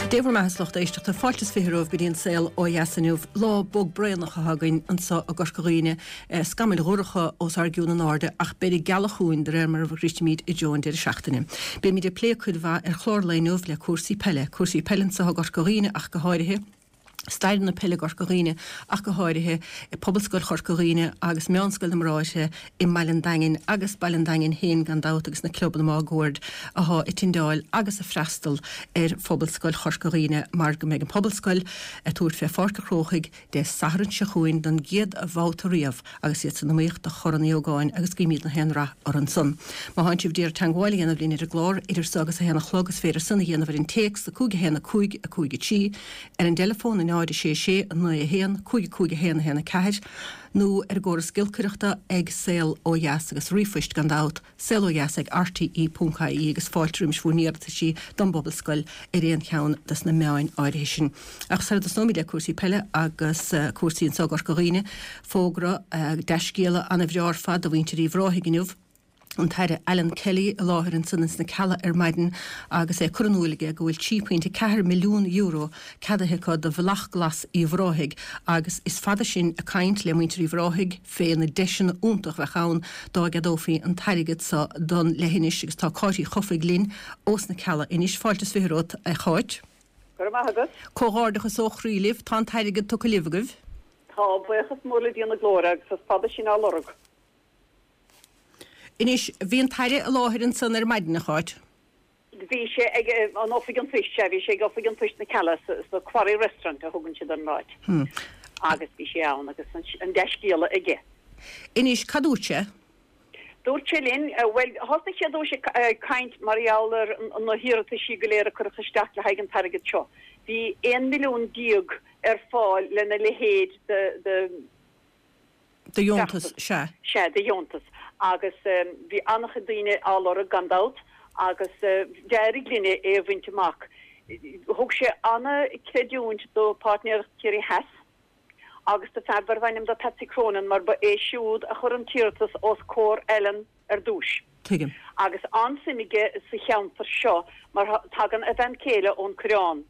Dé bhur mbeatha a lucht éisteachta, fáilte is 20 romhaibh go dtí an saol ó dheas inniu. Lá bog braonach atá againn anso i gCorca Dhuibhne, scamaill dhorcha os ár gcionn in airde ach beidh an ghealach chugainn de réir mar a shroichfimid i dtreo an deireadh seachtaine. Beimid ag plé cuid mhaith ar chlár an lae inniu le cúrsaí peile, cúrsaí peile anso i gCorca Dhuibhne ach go háirithe. stair na peile i gCorca Dhuibhne ach go háirithe, Pobalscoil Chorca Dhuibhne agus Meánscoil na mBráithre i mBaile an Daingin agus Baile an Daingin féin gan dabht agus na clubanna máguaird athá ag tindeáil agus ag freastal ar Phobalscoil Chorca Dhuibhne mar go mbeidh an Phobalscoil ag tabhairt fé Pháirc a' Chrócaigh Dé Sathairn seo chugainn don gcéad bhabhta riamh agus iad san iomaíocht do Chorn Uí Ógáin agus guímíd na haon rath orthu ansan. Má thánn sibh d'iarraidh teangmháil a dhéanamh linn ar an gclár idir so agus a haon a chlog is féidir san a dhéanamh ar an téacs 5 1 5 5 3, ar an dteileafón 0 6 6 9 1 5 5 1 1 4 nó ar an gcóras giolcaireachta ag Saol Ó Dheas agus ríomhphoist gan dabht, saolodheas ag rte.ie agus fáilte roimis bhur n-iarrataisí don bPobalscoil ar aon cheann des na meáin áirithe sin. Ach sara dtosnóimid le cúrsaí peile agus cúrsaí anso i gCorca Dhuibhne, fógra, dea-scéala ana-bhreá ar fad do mhuintir Uíbh Ráthaigh inniu. an tAire Alan Kelly i láthair ansan ins na Cealla ar maidin agus é ag cur in iúil aige go bhfuil €3.4 milliún ceadaithe acu do Bhealach Glas Uíbh Ráthaigh agus is fada sinn ag caint le muintir Uíbh Ráthaigh fé na deiseanna iontach bheadh ann dá gceadófaí an t-airgead so don leithinis agus tá Cáit Uí Chofaigh linn ós na Cealla anois. Fáilte is 20 romhat a Cháit. Go raibh maith agat. Comhghairdeachas ó chroí libh, tá an t-airgead tugtha libh agaibh. Tá, buíochas mór le Dia na Glóire agus is fada sinn á lorg. Anois, bhí an tAire i láthair ansan ar maidin, a Cháit. Bhí sé ag an Oifig an Phoist, sea, bhí sé ag Oifig an Phoist na Cealla sa Quarry Restaurant a thugann siad ar an áit. Agus bhí sé ann agus an dea-scéala aige. Anois, cad dúirt sé? Dúirt sé linn, bhuel, thosnaigh sé ar dtúis ag caint mar gheall ar na hiarrataisí go léir a cuireadh isteach le haghaidh an t-airgead seo. Bhí 11 milliún ar fáil lena leithéid de. De dheontas, sea. Sea, de dheontas. Agus bhí an-chuid daoine á lorg, gan dabht, agus d'éirigh linn é a bhaint amach. Thug sé an-chreidiúint do Páirtnéireacht Chiarraí Theas agus do fear darbh ainm do Patsy Cronin mar ba é siúd a chuir an t-iarratas os comhair Alan ar dtúis. Tuigim. Agus an-suim aige sa cheantar seo mar tagann a bhean céile ón Coireán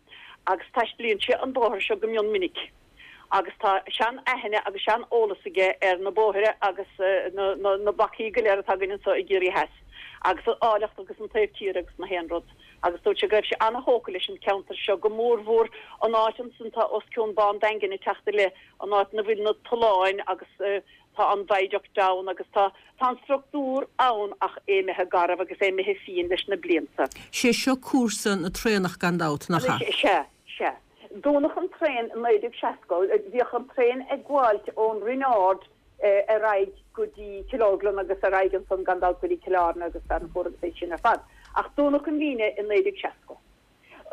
agus taistilíonn sé an bóthar seo go mion minic agus tá sean-aithne agus sean-eolas aige ar na bóithre agus na bacaí go léir atá againn anseo i gCiarraí Theas agus an áilleacht agus an taobh tíre agus na haon rud agus dúirt sé go raibh sé an-thógtha leis an ceantar seo go mórmhór an áit ansan atá os cionn Bá an Daingin ag teacht i leith an áit ina bhfuil na tolláin agus Tá an viaduct ann agus tá tá an structúr ann ach é imithe garbh agus é imithe fiain leis na blianta. Sé seo cúrsa na traenach gan dabht, nach ea? Sea, sea. Dúnadh an traein i 1960. Bhíodh an traein ag gabháilt ón Rinn Ard ar aghaidh go dtí Cill Orglan agus ar aghaidh ansan gan dabht go dtí Cill Airne agus Fearann Fuar agus é sin ar fad. Ach dúnadh an líne i 1960.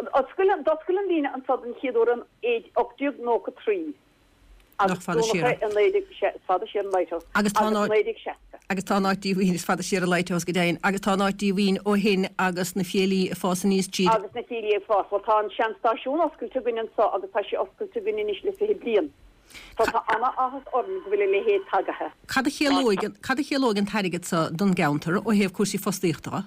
D'oscail an líne anso den chéad uair in 1893. Nach fada siar é. Is fada siar an Lighthouse. Agus tá an áit. 1960. Agus tá an áit díomhaoin, is fada siar an Lighthouse go deimhin, agus tá an áit díomhaoin ó shin agus na fiailí ag fás aníos tríd. Agus na fiailí ag fás. Bhuel tá an sean-stáisiún oscailte againn anso agus tá sé oscailte againn anois le 20 bliain. So tá ana-áthas orainn go bhfuil a leithéid tagaithe. Cad a chiallóidh, cad a chiallóidh an t-airgead so don gceantar ó thaobh cúrsaí fostaíochta de?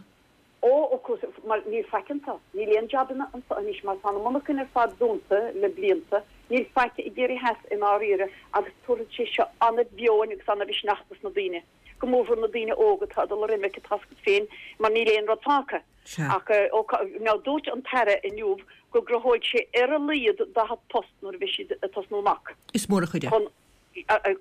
Ó, of course, mar níl faic anso. Níl aon jabanna anso anois mar tá na monarchain ar fad dúnta le blianta. Níl faic i gCiarraí Theas i ndáiríre agus tabharfaidh sé seo ana-mheon agus ana-mhisneach dos na daoine, go mórmhór na daoine óga atá ag dul ar imirce, tá's agat féin, mar níl aon rud fágtha. Sea. Ach, ó, now dúirt an tAire inniu go gcruthóidh sé ar a laghad 40 post nuair a bheidh siad ag tosnú amach. Is mór an chuid é. Chun,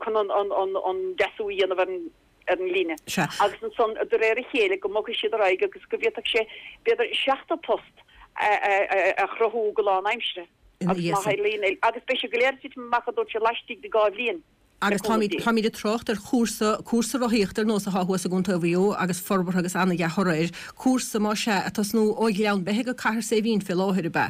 chun an, an, an, an deasú a dhéanamh ar an, ar an líne. Sea. Agus ansan, de réir a chéile, go mbogfaidh siad ar aghaidh agus go bhféadfadh sé, b'fhéidir, 70 post a chruthú go lánaimseartha. Ina Agus dhiaidh má san. tharlaíonn é, agus beidh sé go léir tite amach, a dúirt sé, laistigh de dhá bhliain, le Agus cúnamh táimid, Dé. táimid ag trácht ar chúrsa, cúrsa rothaíochta ar nós atá thuas i gContae Mhaigh Eo agus forbartha agus ana-dhea-thoradh air. Cúrsa, más ea, ag tosnú ó Ghleann Beithe go Cathair Saidhbhín fé láthair, ab ea?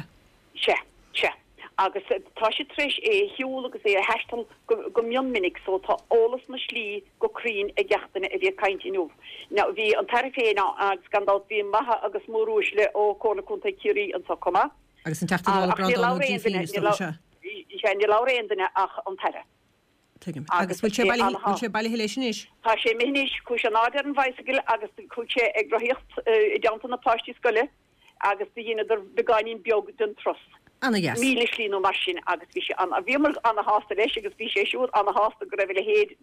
Sea, sea. Agus tá siad tar éis é a shiúl agus é a thaisteal go mion minic so tá eolas na slí go cruinn ag gach duine a bhí ag caint inniu. Now bhí an tAire féin ann agus gan dabht bhí maithe agus móruaisle ó Comhairle Contae Chiarraí anso chomh maith. Agus an Teachta Dála Ach níor Breandán Ó labhair aon duine, Grífín is dócha, sea. sea, níor labhair aon duine ach an tAire. Tuigim. Agus Agus bhfuil sé é bailithe, ana-thábhachtach. bhfuil sé bailithe leis anois? Tá sé imithe anois, chuaigh sé in airde ar an bhicycle agus chuaigh sé ag rothaíocht i dteannta na páistí scoile. agus do dheineadar beagáinín beag den turas. Ana-dheas. 1000 slí nó mar sin agus bhí sé ana, bhíomar ana-shásta leis agus bhí sé siúd ana-shásta go raibh a leithéid,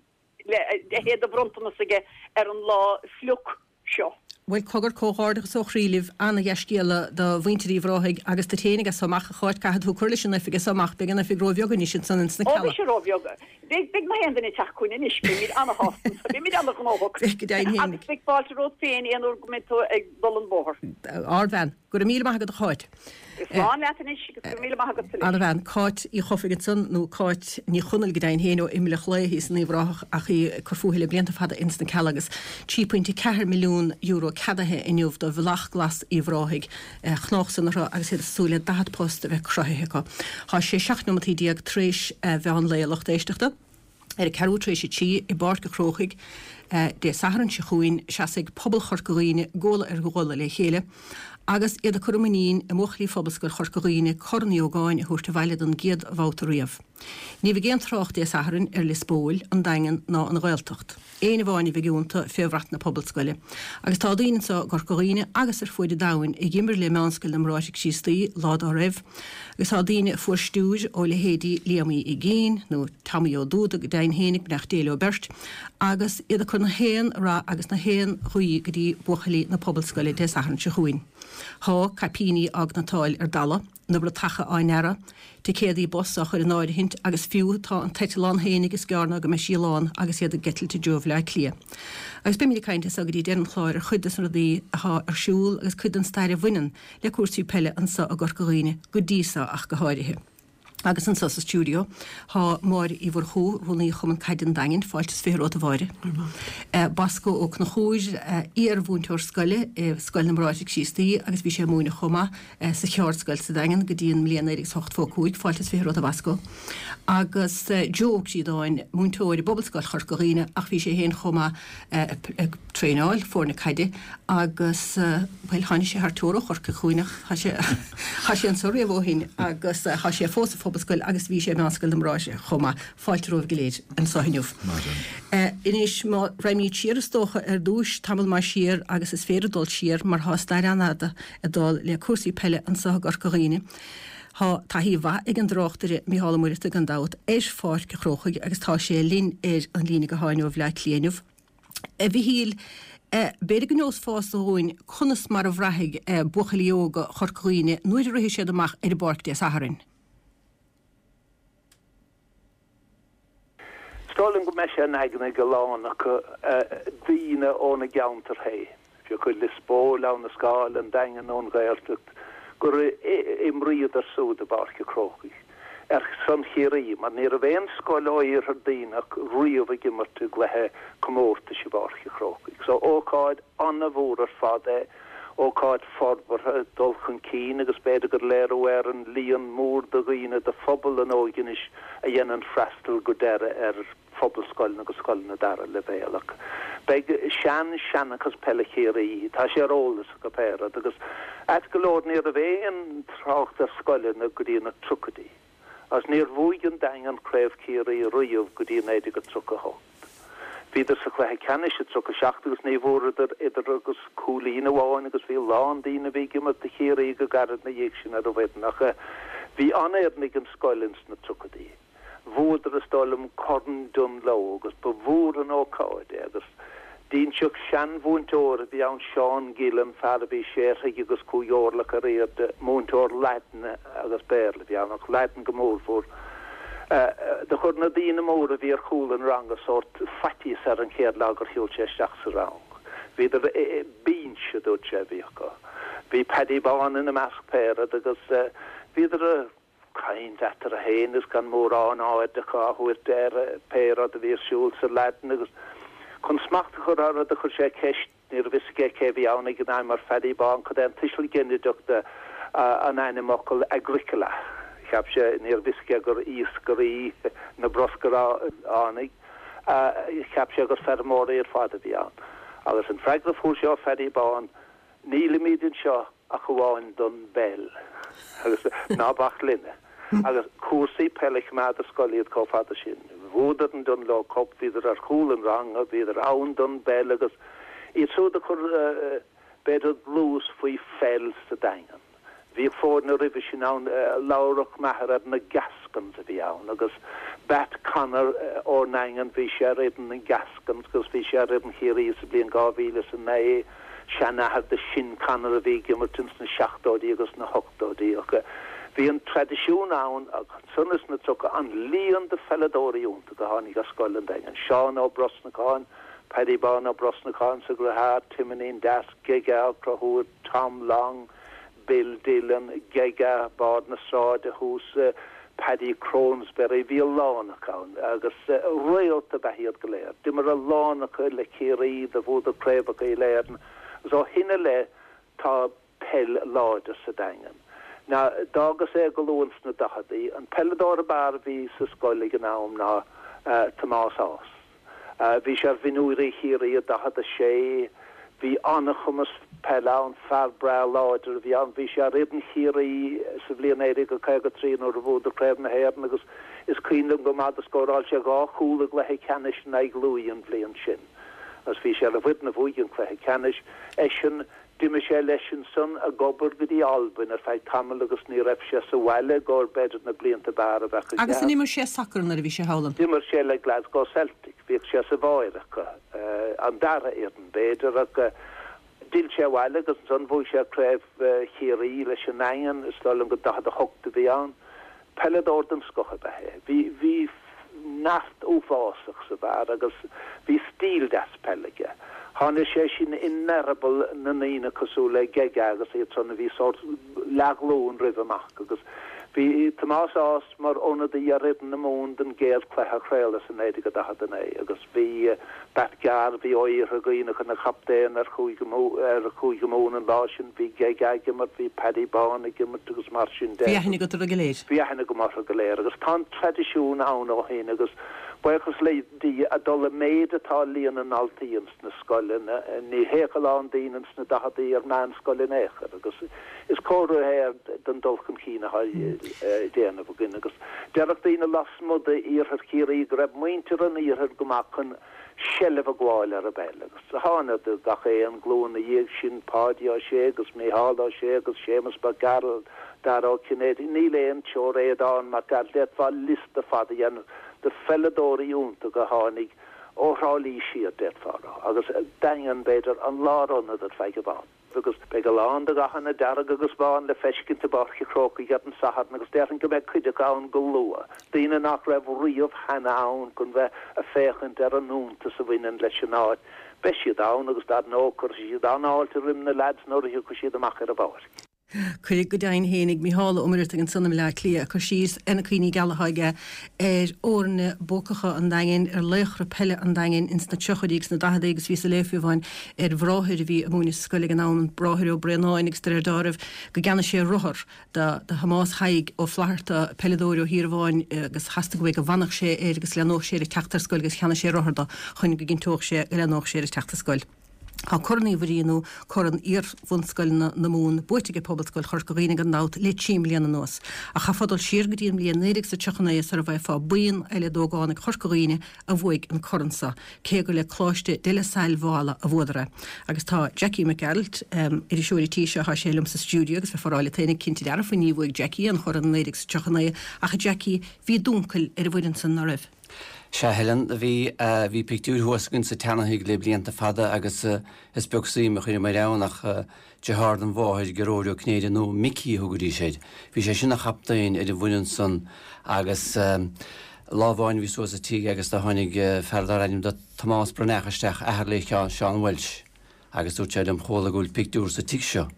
leithéid de bhronntanas aige ar an lá fliuch seo. Bhuel, cogar, comhghairdeachas ó chroí libh, ana-dhea-scéala do mhuintir Uíbh Ráthaigh agus duit féinig as so amach, a Cháit, caithfidh tú cur leis an oifig as so amach, beidh an oifig ró-bheag anois ansan ins na Ó, Cealla. beidh sé ró-bheag. Beidh, beidh nach aon duine ag teacht chugainn anois, beimid ana-shásta anso, beimid ana-ghnóthach. Beidh, go deimhin féinig. Agus beidh fáilte romhat féin aon uair go mbeidh tú ag dul an bóthar. Ardbhean. Go raibh míle maith agat a Cháit. Slán leat anois agus go raibh míle maith agatsa leis. Ana-bhean. Cáit Uí Chofaigh ansan, nó Cáit Ní Chonaill go deimhin féin, ó Imleach Lao thíos in Uíbh Ráthach ach í ag cur fúithi le blianta fada ins na Cealla agus €3.4 milliún ceadaithe inniu do Bhealach Glas Uíbh Ráthaigh a chnámhsan orthu agus iad ag súil le 40 post a bheith cruthaithe acu. Tá sé 17 neomataí tar éis mheán lae a lucht éisteachta. Ar a ceathrú tar éis a trí i bPáirc a' Chrócaigh Dé Sathairn seo chugainn, seasfaidh pobal Chorca Dhuibhne guala ar ghuala le chéile agus iad ag cur a muinín i mbuachaillí Phobalscoil Chorca Dhuibhne Corn Uí Ógáin a thabhairt abhaile don gcéad bhabhta riamh. Ní bheidh aon trácht Dé Sathairn ar Lios Póil, an Daingean ná an Ghaeltacht. Éin amháin a bheidh iontu fé bhrat na Pobalscoile. Agus tá daoine anseo i gCorca Dhuibhne agus ar fuaid an domhain a dh'imir le Meánscoil na mBráithre Críostaí lá dá raibh, agus tá daoine a fuair stiúir ó leithéidí Liam Uí Uigínn, nó Tommy Ó Dúda go deimhin fhéinig, beannacht Dé leo beirt, agus iad ag cur na haon rath agus na haon ghuí go dtí buachaillí na Pobalscoile Dé Sathairn seo chugainn. Tá caipíní á gcniotáil ar dalladh, na bratacha á ndearadh, ticéadaí bus á chur in áirithint agus fiú tá an t-eitleán fhéinig is gearr ná go mbeidh sí lán agus iad ag eitilt i dtreo Bhaile Átha Cliath. Agus beimid ag caint as seo go dtí deireadh an chláir ar chuid de na rudaí athá ar siúl agus cuid den stair a bhaineann le cúrsaí peile anso i gCorca Dhuibhne go dtí so ach go háirithe. Agus anso sa stiúideo tá Máire Uí Mhurchú, Rúnaí Chumann Caide an Daingin, fáilte is 20 romhat a Mháire. Bosco Ó Conchúir, iar-mhúinteoir scoile i Scoil na mBráithre Críostaí agus bhí sé ag múineadh chomh maith sa cheardscoil sa Daingean go dtí an mbliain 1985, fáilte is 20 romhat a Bhosco. Agus Joe Ó Críodáin, múinteoir i bPobalscoil Chorca Dhuibhne ach bhí sé féin chomh maith ag traenáil foirne caide agus, bhuel, tháinig sé thar teora ó Chorcaigh chugainn ach tá sé, tá sé anso riamh ó shin agus tá sé fós sa Phobalscoil agus bhí sé i Meánscoil na mBráithre chomh maith. Fáilte romhaibh go léir anso inniu. Anois, má raghaimid siar is dócha ar dtúis, tamall maith siar agus is féidir dul siar mar tá stair an-fhada ag dul le cúrsaí peile anso i gCorca Dhuibhne. Tá taithí mhaith ag an dtráchtaire Mícheál Ó Muireadhtaigh gan dabht ar Pháirc an Chrócaigh agus tá sé linn ar an líne gutháin ó Bhleá Cliath inniu. A Mhichíl, b'fhéidir go neosfása dhúinn conas mar a bhraithfidh buachaillí óga Chorca Dhuibhne nuair a rithfidh siad amach ar an bpáirc Dé Sathairn. Is dóigh liom go mbeidh sé in aigne ag a lán acu, daoine óna gceantar féin, fiú acu Lios Póil, Abha na Scáil, an Daingean nó an Ghaeltacht, gur imríodar súd i bPáirc an Chrócaigh ar son Chiarraí, mar ní raibh aon scoil ó Iarthar Duibhneach riamh ag imirt i gcluiche comórtais i bPáirc an Chrócaigh. So ócáid an-mhór ar fad é. Ócáid forbartha, dul chun cinn agus b'fhéidir gur léiriú ar an líon mór de dhaoine de phobal an óige anois a dhéanann freastal go deireadh ar phobalscoileanna agus scoileanna dara leibhéal. Ach beidh sean-seanchas peile Chiarraí, tá sé ar eolas acu pé rud agus ait go leor ní raibh aon trácht ar scoileanna go dtí na triochaidí. Agus níor bhuaigh an Daingean Craobh Chiarraí riamh go dtí 1938. Bhíodar sa chluiche ceannais i 37 agus ní bhfuaireadar idir agus cúilín amháin agus bhí a lán daoine a bhí ag imirt do Chiarraí go gairid ina dhiaidh sin ar an bhfoireann ach bhí an-fhoireann ag an scoil ins na triochaidí. Bhuadar is dóigh liom Corn Dungloe agus ba mhór an ócáid é agus D'inseodh seanmhúinteoir a bhí ann, Seán Gillen, fear a bhí sé throigh agus cúig orlach ar airde, múinteoir Laidine agus Béarla a bhí ann, ach Laidin go mórmhór. Do chuir na daoine móra a bhí ar chúl an ranga sórt faitíos air an chéad lá gur shiúil sé isteach sa rang. Bhíodar binse, a dúirt sé, a bhí acu. Bhí Paddy Bán ina measc pé rud agus bhíodar a. caint eatarthu féin agus gan mórán aird acu á thabhairt ar pé rud a bhí ar siúl sa Laidin agus chun smacht a chur orthu do chuir sé ceist, ní raibh fhios aige cé bhí ann ag an am, ar Phaddy Bán cad é an tuiseal ginideach de an ainmfhocal agricola. Cheap sé, ní raibh fhios aige gur iascairí na bruscaránaigh, cheap sé gur feirmeoirí ar fad a bhí ann. Agus an freagra a fuair sé ó Phaddy Bán, Nílimid anseo ach amháin don bpeil. Agus ná bac linne. Agus cúrsaí peile choimeád ar scoil iad chomh fada sin. Bhuadar an Dungloe Cup, bhíodar ar chúl an ranga, bhíodar ann don bpeil agus iad siúd a chuir b'fhéidir dlús faoi pheil sa Daingean. Bhíodh foirne roimhe sin ann, labhradh m'athair ar na Gascons a bhí ann agus Batt Connor ón nDaingean, bhí sé ar fhoireann na Gascons agus bhí sé ar fhoireann Chiarraí sa bhliain 2009, seanathair do Sin Connor a bhí ag imirt ins na seachtóidí agus na hochtóidí. Ach bhí an traidisiún ann ach ansan ins na tríocha an líon de pheileadóirí iontacha a tháinig as scoil an Daingin, Seán Ó Brosnacháin, Paddy Bán Ó Brosnacháin sa dheartháir, Timonín Deas, Gega Ó Conchúir, Tom Long, Bill Dillon, Gega, Bard na Sráide thuas, Paddy Cronsberry, bhí a lán acu ann agus réalta ab ea iad go léir. D'imir a lán acu le Ciarraí, do bhuadar craobhacha uile-Éireann agus ó shin i leith tá peil láidir sa Daingean. Now, d'fhágas é go luath ins na daicheadaí. An peileadóir ab fhearr a bhí sa scoil ag an am ná Tomás Ághas. Bhí sé ar mhionúirí Chiarraí i 46. Bhí an-chumas peile ann, fear breá láidir a bhí ann. Bhí sé ar fhoireann Chiarraí sa bhliain 1953 nuair a bhuadar Craobh na hÉireann agus is cuimhin liom go maith do scóráil sé dhá chúl i gcluiche ceannais in aghaidh Lú an bhliain sin agus bhí sé ar an bhfoireann a bhuaigh an cluiche ceannais. Eisean D'imigh sé leis ansan ag obair go dtí Albain ar feadh tamaill agus ní raibh sé sa bhaile i gcomhair b'fhéidir na blianta b'fhearr a bheadh aige. Agus an imir sé sacar nuair a bhí sé thall ann? D'imir sé le Glasgow Celtic, bhíodh sé sa bháire acu, an dara fhoireann b'fhéidir, ach d'fhill sé abhaile agus ansan bhuaigh sé Craobh Chiarraí leis an nDaingean, is dóigh liom go 48 a bhí ann. Peileadóir den scoth ab ea é. Bhí, bhí neart uafásach sa bhfear agus bhí stíl deas peile aige. Tháinig sé sin in eireaball na ndaoine cosúil le Gega agus iad san a bhí sórt leathghlúin roimhe amach agus bhí Tomás Ághas mar ionadaí ar fhoireann na Mumhan don gcéad chluiche a craoladh sa 1949 agus bhí Batt Garvey ó Iarthar Dhuibhneach ina chaptaen ar Chúige ar Chúige Mumhan an lá sin, bhí Gega ag imirt, bhí Paddy Bán ag imirt agus mar sin de. Bhí aithne agat orthu go léir. Bhí aithne agam orthu go léir agus tá an traidisiún ann ó shin agus buíochas le Dia ag dul i méid atá líon na ndaltaí ins na scoileanna, ní théadh a lán daoine ins na daicheadaí ar meánscoil in aon chor agus is comhartha é den dul chun cinn atá á déanamh againn agus déarfadh daoine lasmuigh d'iarthar Chiarraí go raibh muintir an iarthair go maith chun seilbh a ghabháil ar an bpeil agus thánadar gach aon ghlúin 'na dhiaidh sin, Páidí Ó Sé agus Mícheál Ó Sé agus Séamus Mac Gearailt, Dara Ó Cinnéide, níl aon teorainn ann Mac Gearailt, d'fhéadfá liosta fada a dhéanamh de pheileadóirí iontacha a tháinig ó Thrá Lí siar, d'fhéadfá a rá, agus Daingean, b'fhéidir, an lárionad ar feadh i bhfad. Agus beidh a lán de dhathanna dearg agus bán le feiscint i bPáirc an Chrócaigh ar an Satharn agus déarfainn go mbeidh cuid acu ann go luath, daoine nach raibh riamh cheana ann chun bheith ag féachaint ar an iontas a bhaineann leis an áit. Beidh siad ann agus dar ndóigh cuirfidh siad an-fháilte roim na leaids nuair a thiocfaidh siad amach ar an bpáirc. Cuireadh go deimhin fhéinig Mícheál Ó Muircheartaigh ansan i mBleá Cliath ag cur síos ar na cuimhní geala atá aige ar fhoirne buacacha an Daingin, ar laochra peile an Daingin ins na tríochaidí agus na daicheadaí agus bhíos ag léamh fiú amháin ar bhráthair a bhí ag múineadh sa scoil ag an am, an Bráthair Ó Braonáin agus de réir dealraimh go gceannaigh sé rothar do Thomás Thaidhg Ó Flatharta, peileadóir ó Thír Amháin agus theastaigh uaidh go bhfanfadh sé air agus leanódh sé air ag teacht ar scoil agus cheannaigh sé rothar do chun go gcinnteodh sé go leanódh sé air ag teacht ar scoil. Tá Corn Uí Mhuirí nó Corn Iar-bhunscoileanna na Mumhan buaite ag Pobalscoil Chorca Dhuibhne gan dabht le trí mbliana anuas. Ach chaithfeá dul siar go dtí an mbliain 1939 sara bhfaighfeá buíon eile d'ógánaigh Chorca Dhuibhne a bhuaigh an corn seo, cé gur le Coláiste De La Salle Mhála a bhuadar é. Agus tá Jackie Mac Gearailt, iriseoir an tí seo, tá sé liom sa stiúideo agus bheifeá ag rá leat féinig cinnte dearfa ní bhuaigh Jackie an chorn i 1939 ach a Jackie, bhí d'uncail ar an bhfoireann san, ná raibh? Sea, Helen, bhí, bhí pictiúir thuas againn sa tseanathigh le blianta fada agus is beag suim a chuireamair ann ach deartháir dom mháthair, Gearóid Ó Cinnéide nó Micí a thugaidís air, bhí sé sin ina chaptaen ar an bhfoireann san agus lá amháin bhíos thuas sa tigh agus do tháinig fear darbh ainm do Tomás Breathnach isteach, athair le Seán Walsh. Agus dúirt sé liom, Chuala go bhfuil pictiúr sa tigh seo.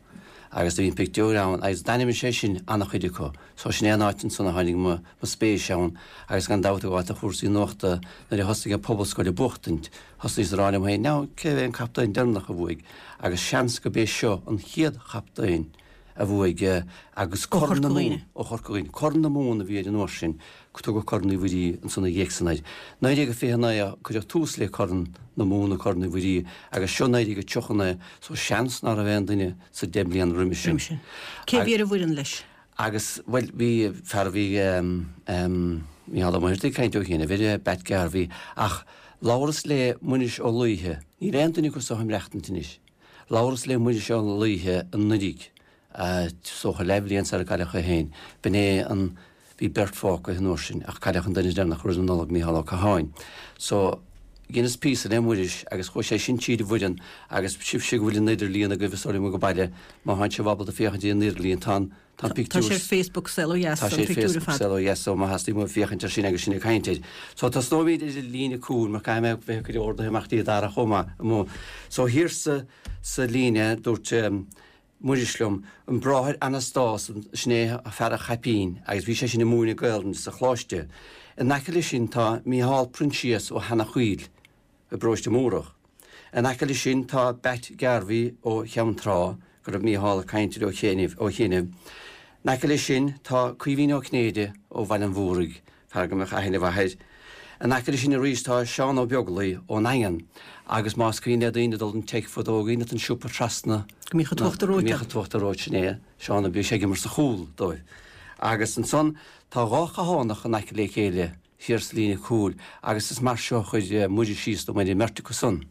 Agus do bhí an pictiúr ann agus d'ainmnigh sé sin an-chuid acu. So sin é an áit ansan a tháinig mo spéis ann agus gan dabht ag gabháil do chúrsaí nuachta nuair a thosaigh an Pobalscoil ag buachtaint, thosnaíos ag rá liom féin, now cé hé an captaen deireanach a bhuaigh? Agus seans go b'é seo an chéad chaptaen a bhuaigh agus Corn na Mumhan ó Chorca Dhuibhne. Corn na Mumhan a bhí air an uair sin, tugadh Corn Uí Mhuirí ansan ina dhiaidh san air. 1929 a cuireadh tús le Corn na Mumhan nó Corn Uí Mhuirí agus seo 1939 so seans ná raibh aon duine sa deich mbliana roimhe sin. Cé a bhí ar an bhfoireann leis? Agus, bhuel, bhí fear a bhí Mícheál Ó Muircheartaigh ag caint ó chianaibh air, Batt Garvey, ach labhras le Muiris Ó Laoithe, níl aon duine acu so ag maireachtaint anois. Labhras le Muiris Ó Laoithe anuraidh. Is dócha leathbhliain sar a cailleadh é féin. B'in é an, bhí beirt fágtha an uair sin ach cailleadh an duine deireanach roimh an Nollaig, Mícheál Ó Catháin. So, dheineas píosa le Muiris agus chuaigh sé sin tríd an bhfoireann agus sibhse go bhfuil an idirlíon agaibh is dóigh liom ag baile, má thánn sibh ábalta féachaint ar an idirlíon, tá an, tá an pictiúr. Tá sé ar Facebook Saol Ó Dheas, an pictiúr ar fad. Tá sé ar Facebook Saol Ó Dheas, so má theastaíonn uaibh féachaint air sin agus sinn ag caint air. So tosnóimid ar an líne cúil mar caithfidh mé bheith ag cur orduithe amach dtí Dara chomh maith. So thiar sa, sa líne, dúirt, Muiris liom, an bráthair Anastas, sin é fear an chaipín, agus bhí sé sin ag múineadh Gaelainne sa choláiste. In aice leis sin tá Mícheál Proinsias ó Sheanach Chaoil i bparóiste Múrach. In aice leis sin tá Batt Garvey ó Cheann Trá, go raibh Mícheál ag caint air ó chianaibh. In aice leis sin tá Caoimhín Ó Cinnéide ó Bhaile an Mhúraigh, fear go mbeadh aithne mhaith air. In aice leis sin arís tá Seán Ó Beaglaoi ón nDaingean agus más cuimhin le daoine dul don Teic fadó go an siopa trasna Go mbíodh an t-uachtar reoite. Go mbíodh an t-uachtar reoite, sin é Seán a bhí sé ag imirt sa chúl dóibh. Agus ansan tá dhá Chathánach in aice le chéile thiar sa líne cúil agus is mar seo a chuir Muiris síos dom ar an mbeirt acu san.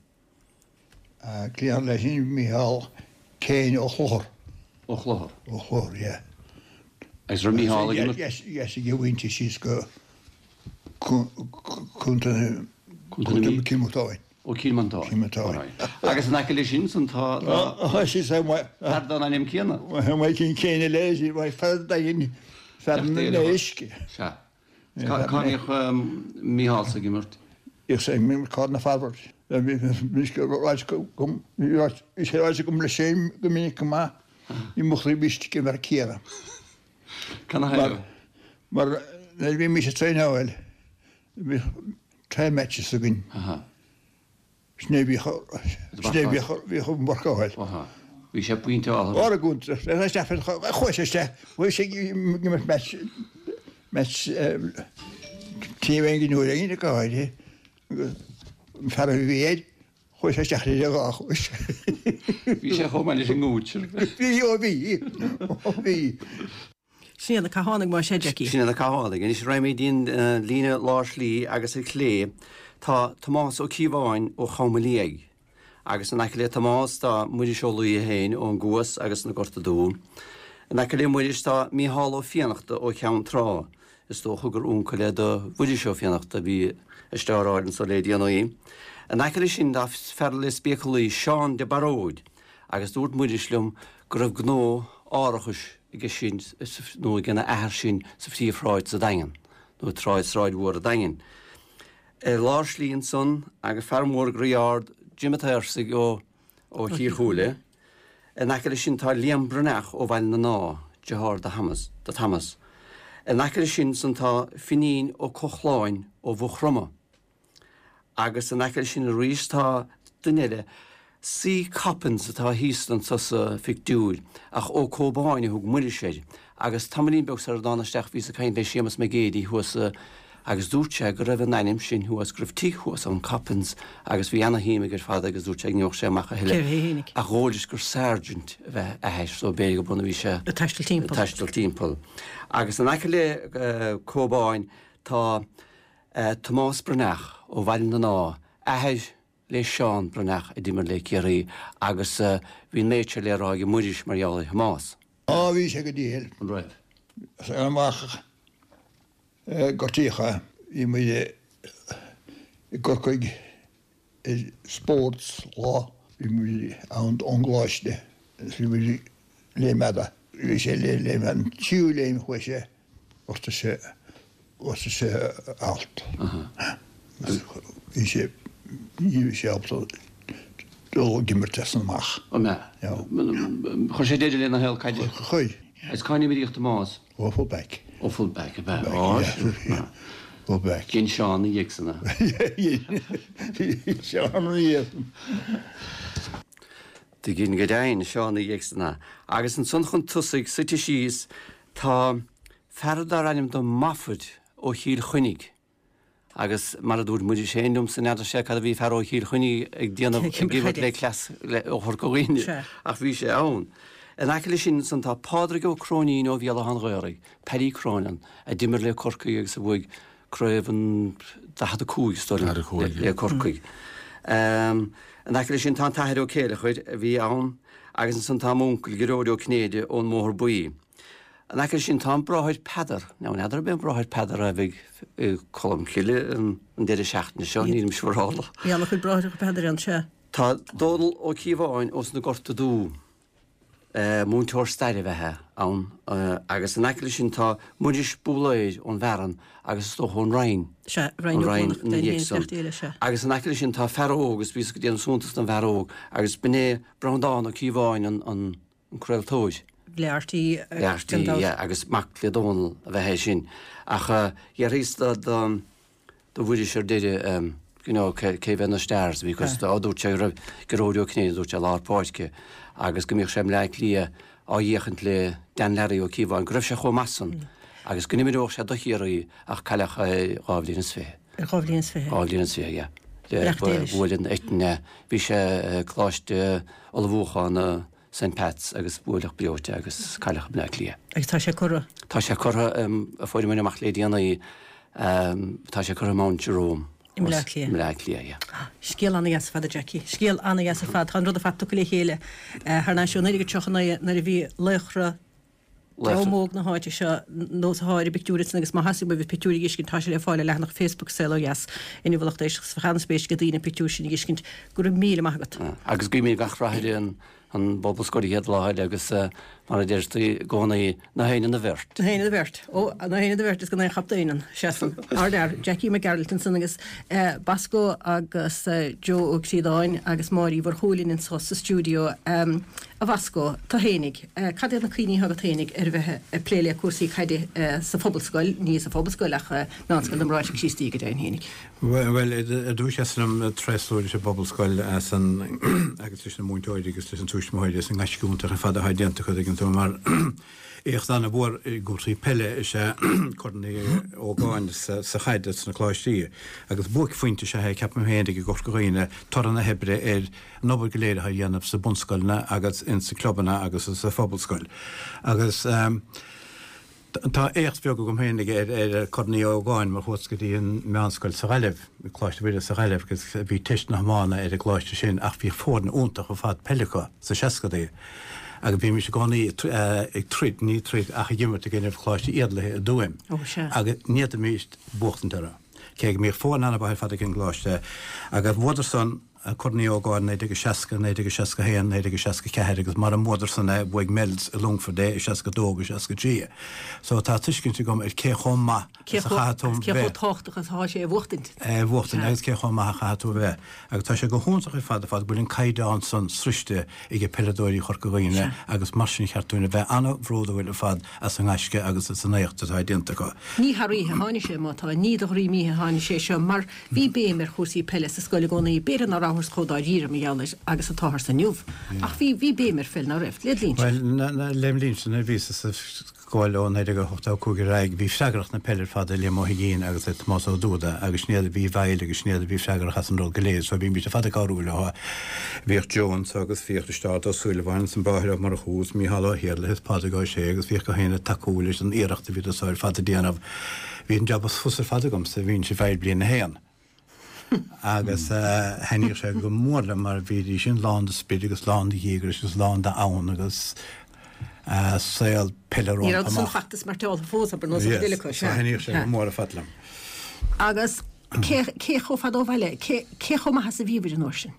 Cliath leis sin Mícheál Kane Ó Chlochar. Ó Chlochar. Ó Chlochar, yeah. Agus raibh Mícheál ag imirt? Yes, yes, ag a mhuintir síos go Contae Contae Cill Mhantáin. Ó Cill Mhantáin. Cill Mhantáin. Agus in aice leis sin san tá fear den ainm céanna. Michael Kane eile, fear Daingean, fear na n-éisc. Sea. Cá mbíodh Mícheál ag imirt? Bhíodh sé ag imirt corner forward. Bhí sé ráite agam leis féin go minic go maith, ní mo chroí istigh i bhfear céanna. Canathaobh? Mar nuair a bhí mise ag traenáil, bhíodh trial matches againn. Sin é bhíodh bhíodh an mharcáil. Bhí sé pointeáltha. Ar an gcuntar. Chuaigh sé isteach. Chuaigh sé ag imirt match match taobh aon uair aon go háirithe. An fear a bhí air, chuaigh sé isteach ar a dhá chois. Bhí sé chomh maith leis an ngúitsear. Bhí, ó bhí, ó bhí. Sin iad na Cathánaigh más ea, Jackie. Sin iad na Cathánaigh. Anois raghaimid dtí an líne lár slí agus ar chlé tá Tomás Ó Cíobháin ó Chom an Liaigh. Agus in aice le Tomás tá Muiris Ó Laoithe féin ón gCuas agus na Gorta Dubha. In aice le Muiris tá Mícheál Ó Fiannachta ó Cheann Trá. Is dócha gur uncail é do Mhuiris Ó Fiannachta a bhí ag stáráil anso le déanaí. In aice leis sin tá fear le spéaclaí, Seán de Baróid. Agus dúirt Muiris liom go raibh gnó árachais aige sin nó ag an athair sin sa phríomhshráid sa Daingean, nó tráid Sráid Mhór an Daingin. Ar lár slí ansan agus fear mór groí ard, Jim a' tSaorsaigh ó ó Chíll Chúile. In aice leis sin tá Liam Breathnach ó Bhaile na nDá, deartháir do Thomas, do Thomas. In aice leis sin san tá Finín Ó Cochláin ó Mhaigh Chromtha. Agus in aice leis sin arís tá duine eile, C. Coppins atá thíos anso sa phictiúr, ach Ó Cóbáin a thug Muiris air. Agus tamaillín beag sar a dtána isteach bhíos ag caint le Séamus Mac Géidigh thuas agus dúirt sé go raibh an ainm sin thuas, go raibh tigh thuas ann, Coppins, agus bhí ana-shuim aige ar fad agus dúirt sé go ngeobhadh sé amach a thuilleadh. Ach dhóigh leis gur sergeant a b'ea a athair so b'fhéidir go b'ionann a bhí sé ag taisteal timpeall. Ag taisteal timpeall. Agus in aice le Cóbáin tá. Tomás Breathnach ó Bhaile na nDá, athair le Seán Breathnach a d'imir le Ciarraí agus bhí an méid seo le rá ag Muiris mar gheall ar Thomás. Á bhí sé go diail. An raibh? Ar amach gortaíodh é. Bhí muid i gCorcaigh ar sports lá. Bhí muid ann ón gcoláiste agus bhí muid léim fhada. Bhí sé le léim an tríú léim chuaigh sé. Ghortaigh sé, ghortaigh sé a alt. Bhí sé, ní raibh sé ábalta dul ag imirt as san amach. An ea? Chuir sé deireadh lena shaol caide? Chuir. Agus cá n-imríodh Tomás? Ó, full back. Ó, full back, ab ea? Ó, yeah. Full back. Dhein Seán ina dhiaidh san é. Dhein Seán ina dhiaidh san. Do dhein go deimhin, Seán ina dhiaidh san é. Agus ansan chun tosaigh, suite síos, Tá fear dar ainm do Moffat ó Chill Chainnigh agus mar a dúirt Muiris féin liomsa n'fheadar sé cad a bhí fear ó Chill Chainnigh ag déanamh ag imirt le cleas ó Chorca Dhuibhne ach bhí sé ann. In aice leis sin ansan tá Pádraig Ó Cróinín ó Bhéal Átha an Ghaorthaidh, Paddy Cronin, a d'imir le Corcaigh agus a bhuaigh craobh an 45 is dóigh liom le Corcaigh. In In aice leis sin tá an tAthair Ó Céileachair a bhí ann agus ansan tá m'uncail Gearóid Ó Cinnéide ón mBóthar Buí. In aice leis sin tá an Bráthair Peadar. Now n'fheadar ab é an Bráthair Peadar a bheidh i Colmcille an deireadh seachtaine seo, nílim siúrálach. Bhí an-chuid Bráithreacha Peadair ann, sea. Tá Dónal Ó Cíobháin ós na Gorta Dubha. Múinteoir staire ab ea é ann agus in aice leis sin tá Muiris Búlaeir ón bhFearann agus is dócha ón Rinn. Sea, Rinn Ó Rinn ina dhiaidh san. Agus in aice leis sin tá fear óg agus bhíos ag déanamh suntas don bhfear óg agus b'in é Breandán Ó Cíobháin an craoltóir. Le RTÉ. Le RTÉ, yeah, agus mac le Dónal ab ea é sin. Ach dhearthaíos do do Mhuiris ar deireadh you know cé bheadh na stars because á dúirt sé go raibh Gearóid Ó Cinnéide dúirt sé lár páirce agus go mbíodh sé i mBleá Cliath á fhéachaint le Dan Larry Ó Cíobháin go raibh sé chomh maith san agus go n-imreodh sé do Chiarraí ach cailleadh é dhá bhliain is fiche. Ar dhá bhliain is fiche? Dhá bhliain is fiche, yeah. Le bhuail an eitinn é. Bhí sé i gColáiste Ullmhúcháin St Pat's agus buaileadh breoite agus cailleadh i mBleá Cliath. Agus tá sé curtha? Tá sé curtha, a fuaireamar amach le déanaí, tá sé curtha i Mount Jerome. I mBleá Cliath. I mBleá Cliath, yeah. Scéal ana-dheas ar fad, a Jackie. Scéal ana-dheas ar fad. Tá an rud ar fad tugtha le chéile thar n-ais ó 1939 nuair a bhí laochra Dream óg na háite seo nós atá ar an bpictiúr ansan agus má theastaíonn uaibh an pictiúr a dh'fheiscint tá sé le fáil ar leathanach Facebook Saol Ó Dheas inniu a lucht éisteachta 's bheadh an-spéis ag daoine an pictiúr sin a dh'fheiscint. Go raibh míle maith agat. Agus guímid gach rath ar an an bPobalscoil an chéad lá eile agus mar a deirtí i gcónaí, na héinne na bheirt. Na héinne na bheirt. Ó, na héinne na bheirt is gan aon chaptaen ann. Seasann. Ardfhear, Jackie Mac Gearailt ansan agus Bosco agus Joe Ó Críodáin agus Máire Uí Mhurchú linn anso sa stiúideo. A Bhosco, tú fhéinig, cad iad na cuimhní atá agat fhéinig ar bheith ag plé le cúrsaí caide sa Phobalscoil, ní sa Phobalscoil ach Meánscoil na mBráithre Críostaí go deimhin fhéinig? Bhuel, ar dtús is liom tréaslú leis an bPobalscoil as an, agus leis na múinteoirí agus leis an tuismitheoirí as an ngaisce iontach ar fad atá déanta acu tuigeann tú mar éacht an-mhór i gcúrsaí peile is ea Corn Uí Ógáin sa chaid sna coláistí agus buaicphointe is ea é ceapaim féinig i gCorca Dhuibhne toradh na hoibre ar an obair go léir atá á dhéanamh sa bunscoileanna agus ins na clubanna agus sa phobalscoil. Agus tá éacht bheag agam féinig ar ar Corn Uí Ógáin mar chuas go dtí an meánscoil sa Ghaillimh, Coláiste Mhuire sa Ghaillimh agus bhí teist na hiomána ar an gcoláiste sin ach bhí foirne iontach ar fad peile acu sa seascadaí agus bhímis i gcónaí ag troid, ní troid ach ag imirt i gcoinnibh Choláiste Iarlaithe i dTuaim agus ní fhéadfaimíst buachtaint orthu. Cé go mbíodh foireann an-mhaith ar fad ag an gcoláiste agus bhuadar san Corn Uí Ógáin 1960, 1961, 1964 agus mara mbuadar san é, bhuaigh Mel's i Longfort é i 62 agus 63. So tá tuiscint agam ar cé chomh maith is a chaithfidh tú bheith. Cé chomh tábhachtach is atá sé a bhuachtaint. É a bhuachtaint agus cé chomh maith a chaithfidh tú a bheith. Agus tá sé go hiontach ar fad ar fad go bhfuil an caighdeán san sroichte ag peileadóirí Chorca Dhuibhne agus mar sin cheart dúinn a bheith an-bhródúil ar fad as an ngaisce agus as an éacht atá déanta acu. Ní thar oíche a tháinig sé, má tá, ní de dhroim oíche a tháinig sé seo mar Bhí béim ar chúrsaí peile sa scoil i gcónaí, b'fhéidir ná rabhthas chomh dáiríre mar gheall air agus atáthar inniu, ach bhí, bhí béim ar pheil, ná raibh? Led linnse. Bhuel, lem linnse nuair a bhíos sa scoil ó 1985 ar aghaidh, bhí freagracht na peile ar fad ar Liam Ó hUiginn agus ar Tomás Ó Dúda agus sin iad a bhí i bhfeighil agus sin iad a bhí freagrach as an rud go léir so bhímís ar fad ag cabhrú leo. Bhíodh Joe anso agus bhíodh Risteárd Ó Súilleabháin agus an Bráthair Ó Murchú agus Mícheál Ó hIarlaithe is Pádraig Ó Sé agus bhíodh gach éinne ag tacú leis an iarracht a bhíodar so ar fad ag déanamh. Bhí an jab is fusa ar fad agamsa, bhínnse i bhfeighil bliain a haon. Agus thaitníodh sé go mór liom mar bhídís sin lán de sprid agus lán de dhíograis agus lán d'fhonn agus saol peile rompu amach. Ní raibh san feachtas mairteáltha fós, abair, nós an duine acu, sea. Thaitníodh sé go mór ar fad liom. Agus cé chomh fada ó bhaile, cé chomh maith is a bhíobhair an uair sin?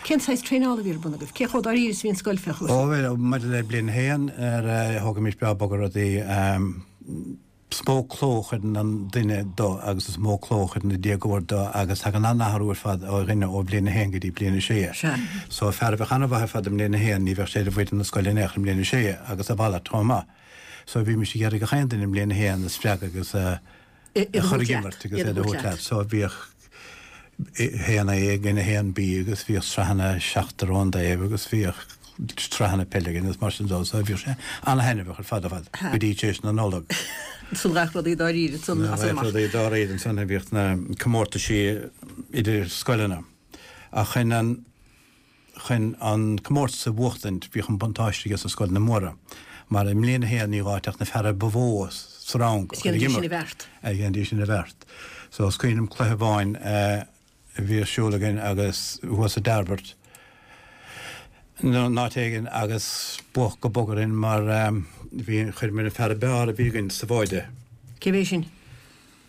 Cén saghas traenála a bhí ar bun agaibh? Cé chomh dáiríre is a bhí an scoil fé chúrsaí? Ó, bhuel, maidir le bliain a haon, thógaimis breá bog ar rudaí. Is mó cló a chuireann an duine do agus is mó cló a chuireann an déagóir do agus tagann an-athrú ar fad ó dhuine ó bhliain a haon go dtí bliain a sé. So fear a bheadh an-mhaith ar fad i mbliain a haon ní bheadh sé ar bhfoireann na scoile in aon chor i mbliain a sé agus a mhalairt chomh maith. So bhímis ag iarraidh gach aon duine i mbliain a haon a spreagadh agus a a chur ag imirt agus iad a thabhairt leat. So bhíodh 1A againn, 1B agus bhíodh sraitheanna seachtar ón dtaobh agus bhíodh sraitheanna peile againn agus mar sin dó. So bhíodh sé ana-thaitneamhach ar fad ar fad go dtí tar éis na Nollag. Ansan gach rudaí dáiríre ansan as amach. Rudaí dáiríre ansan a bhíodh na comórtaisí idir scoileanna. Ach chun an Chun an comórtas a bhuachtaint bhíodh an buntáiste aige sna scoileanna móra, mar i mbliain a haon ní gá ach na feara ba mhó sa rang a chur ag imirt. Dhéanaidís sin a bheart. So is cuimhin liom cluiche amháin. a bhí ar siúl againn agus thuas i dTairbeart nó in áit éigin agus buadh go bog orainn mar bhí, chuireamar an fear ab fhearr a bhí againn sa bháide. Cé b'é sin?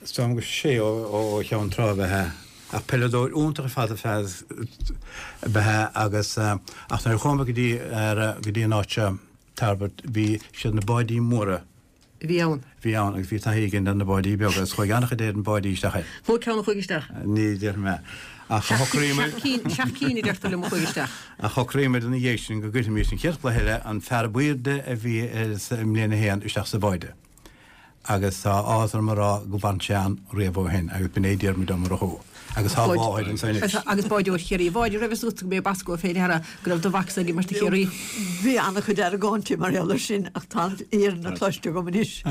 Is dóigh liom gur Sé ó Cheann Trá ab ea é. Ach peileadóir iontach ar fad ab ea é agus ach nuair a chuamar go dtí go dtí an áit seo, Tairbeart, bhí siad na báidí móra. a bhí ann. bhí ann agus bhí taithí againn ar na báidí beaga agus chuaigh an-chuid ar na báidí isteach air. Mó ceann a chuaigh isteach? Ní déarfaidh mé. Ach shocraíomar. Seacht cinn a deirtear liom a chuaigh isteach. Ach shocraíomar ina dhiaidh sin go gcuirfimis an chéad chluiche eile an fear ab aoirde a bhí i mbliain a haon isteach sa bháide. Agus tá áthas orm a rá gur fhan sé ann riamh ó shin agus b'in é Diarmuid Ó Murchú. Agus tá a mháthair anso anois. Agus báideoir Chiarraí. A Mháire, raibh fhios agat go mb'é Bosco fé deara go raibh do mhacsa ag imirt do Chiarraí? Bhí an-chuid argóintí mar gheall air sin ach tá an fhírinne cloiste agam anois.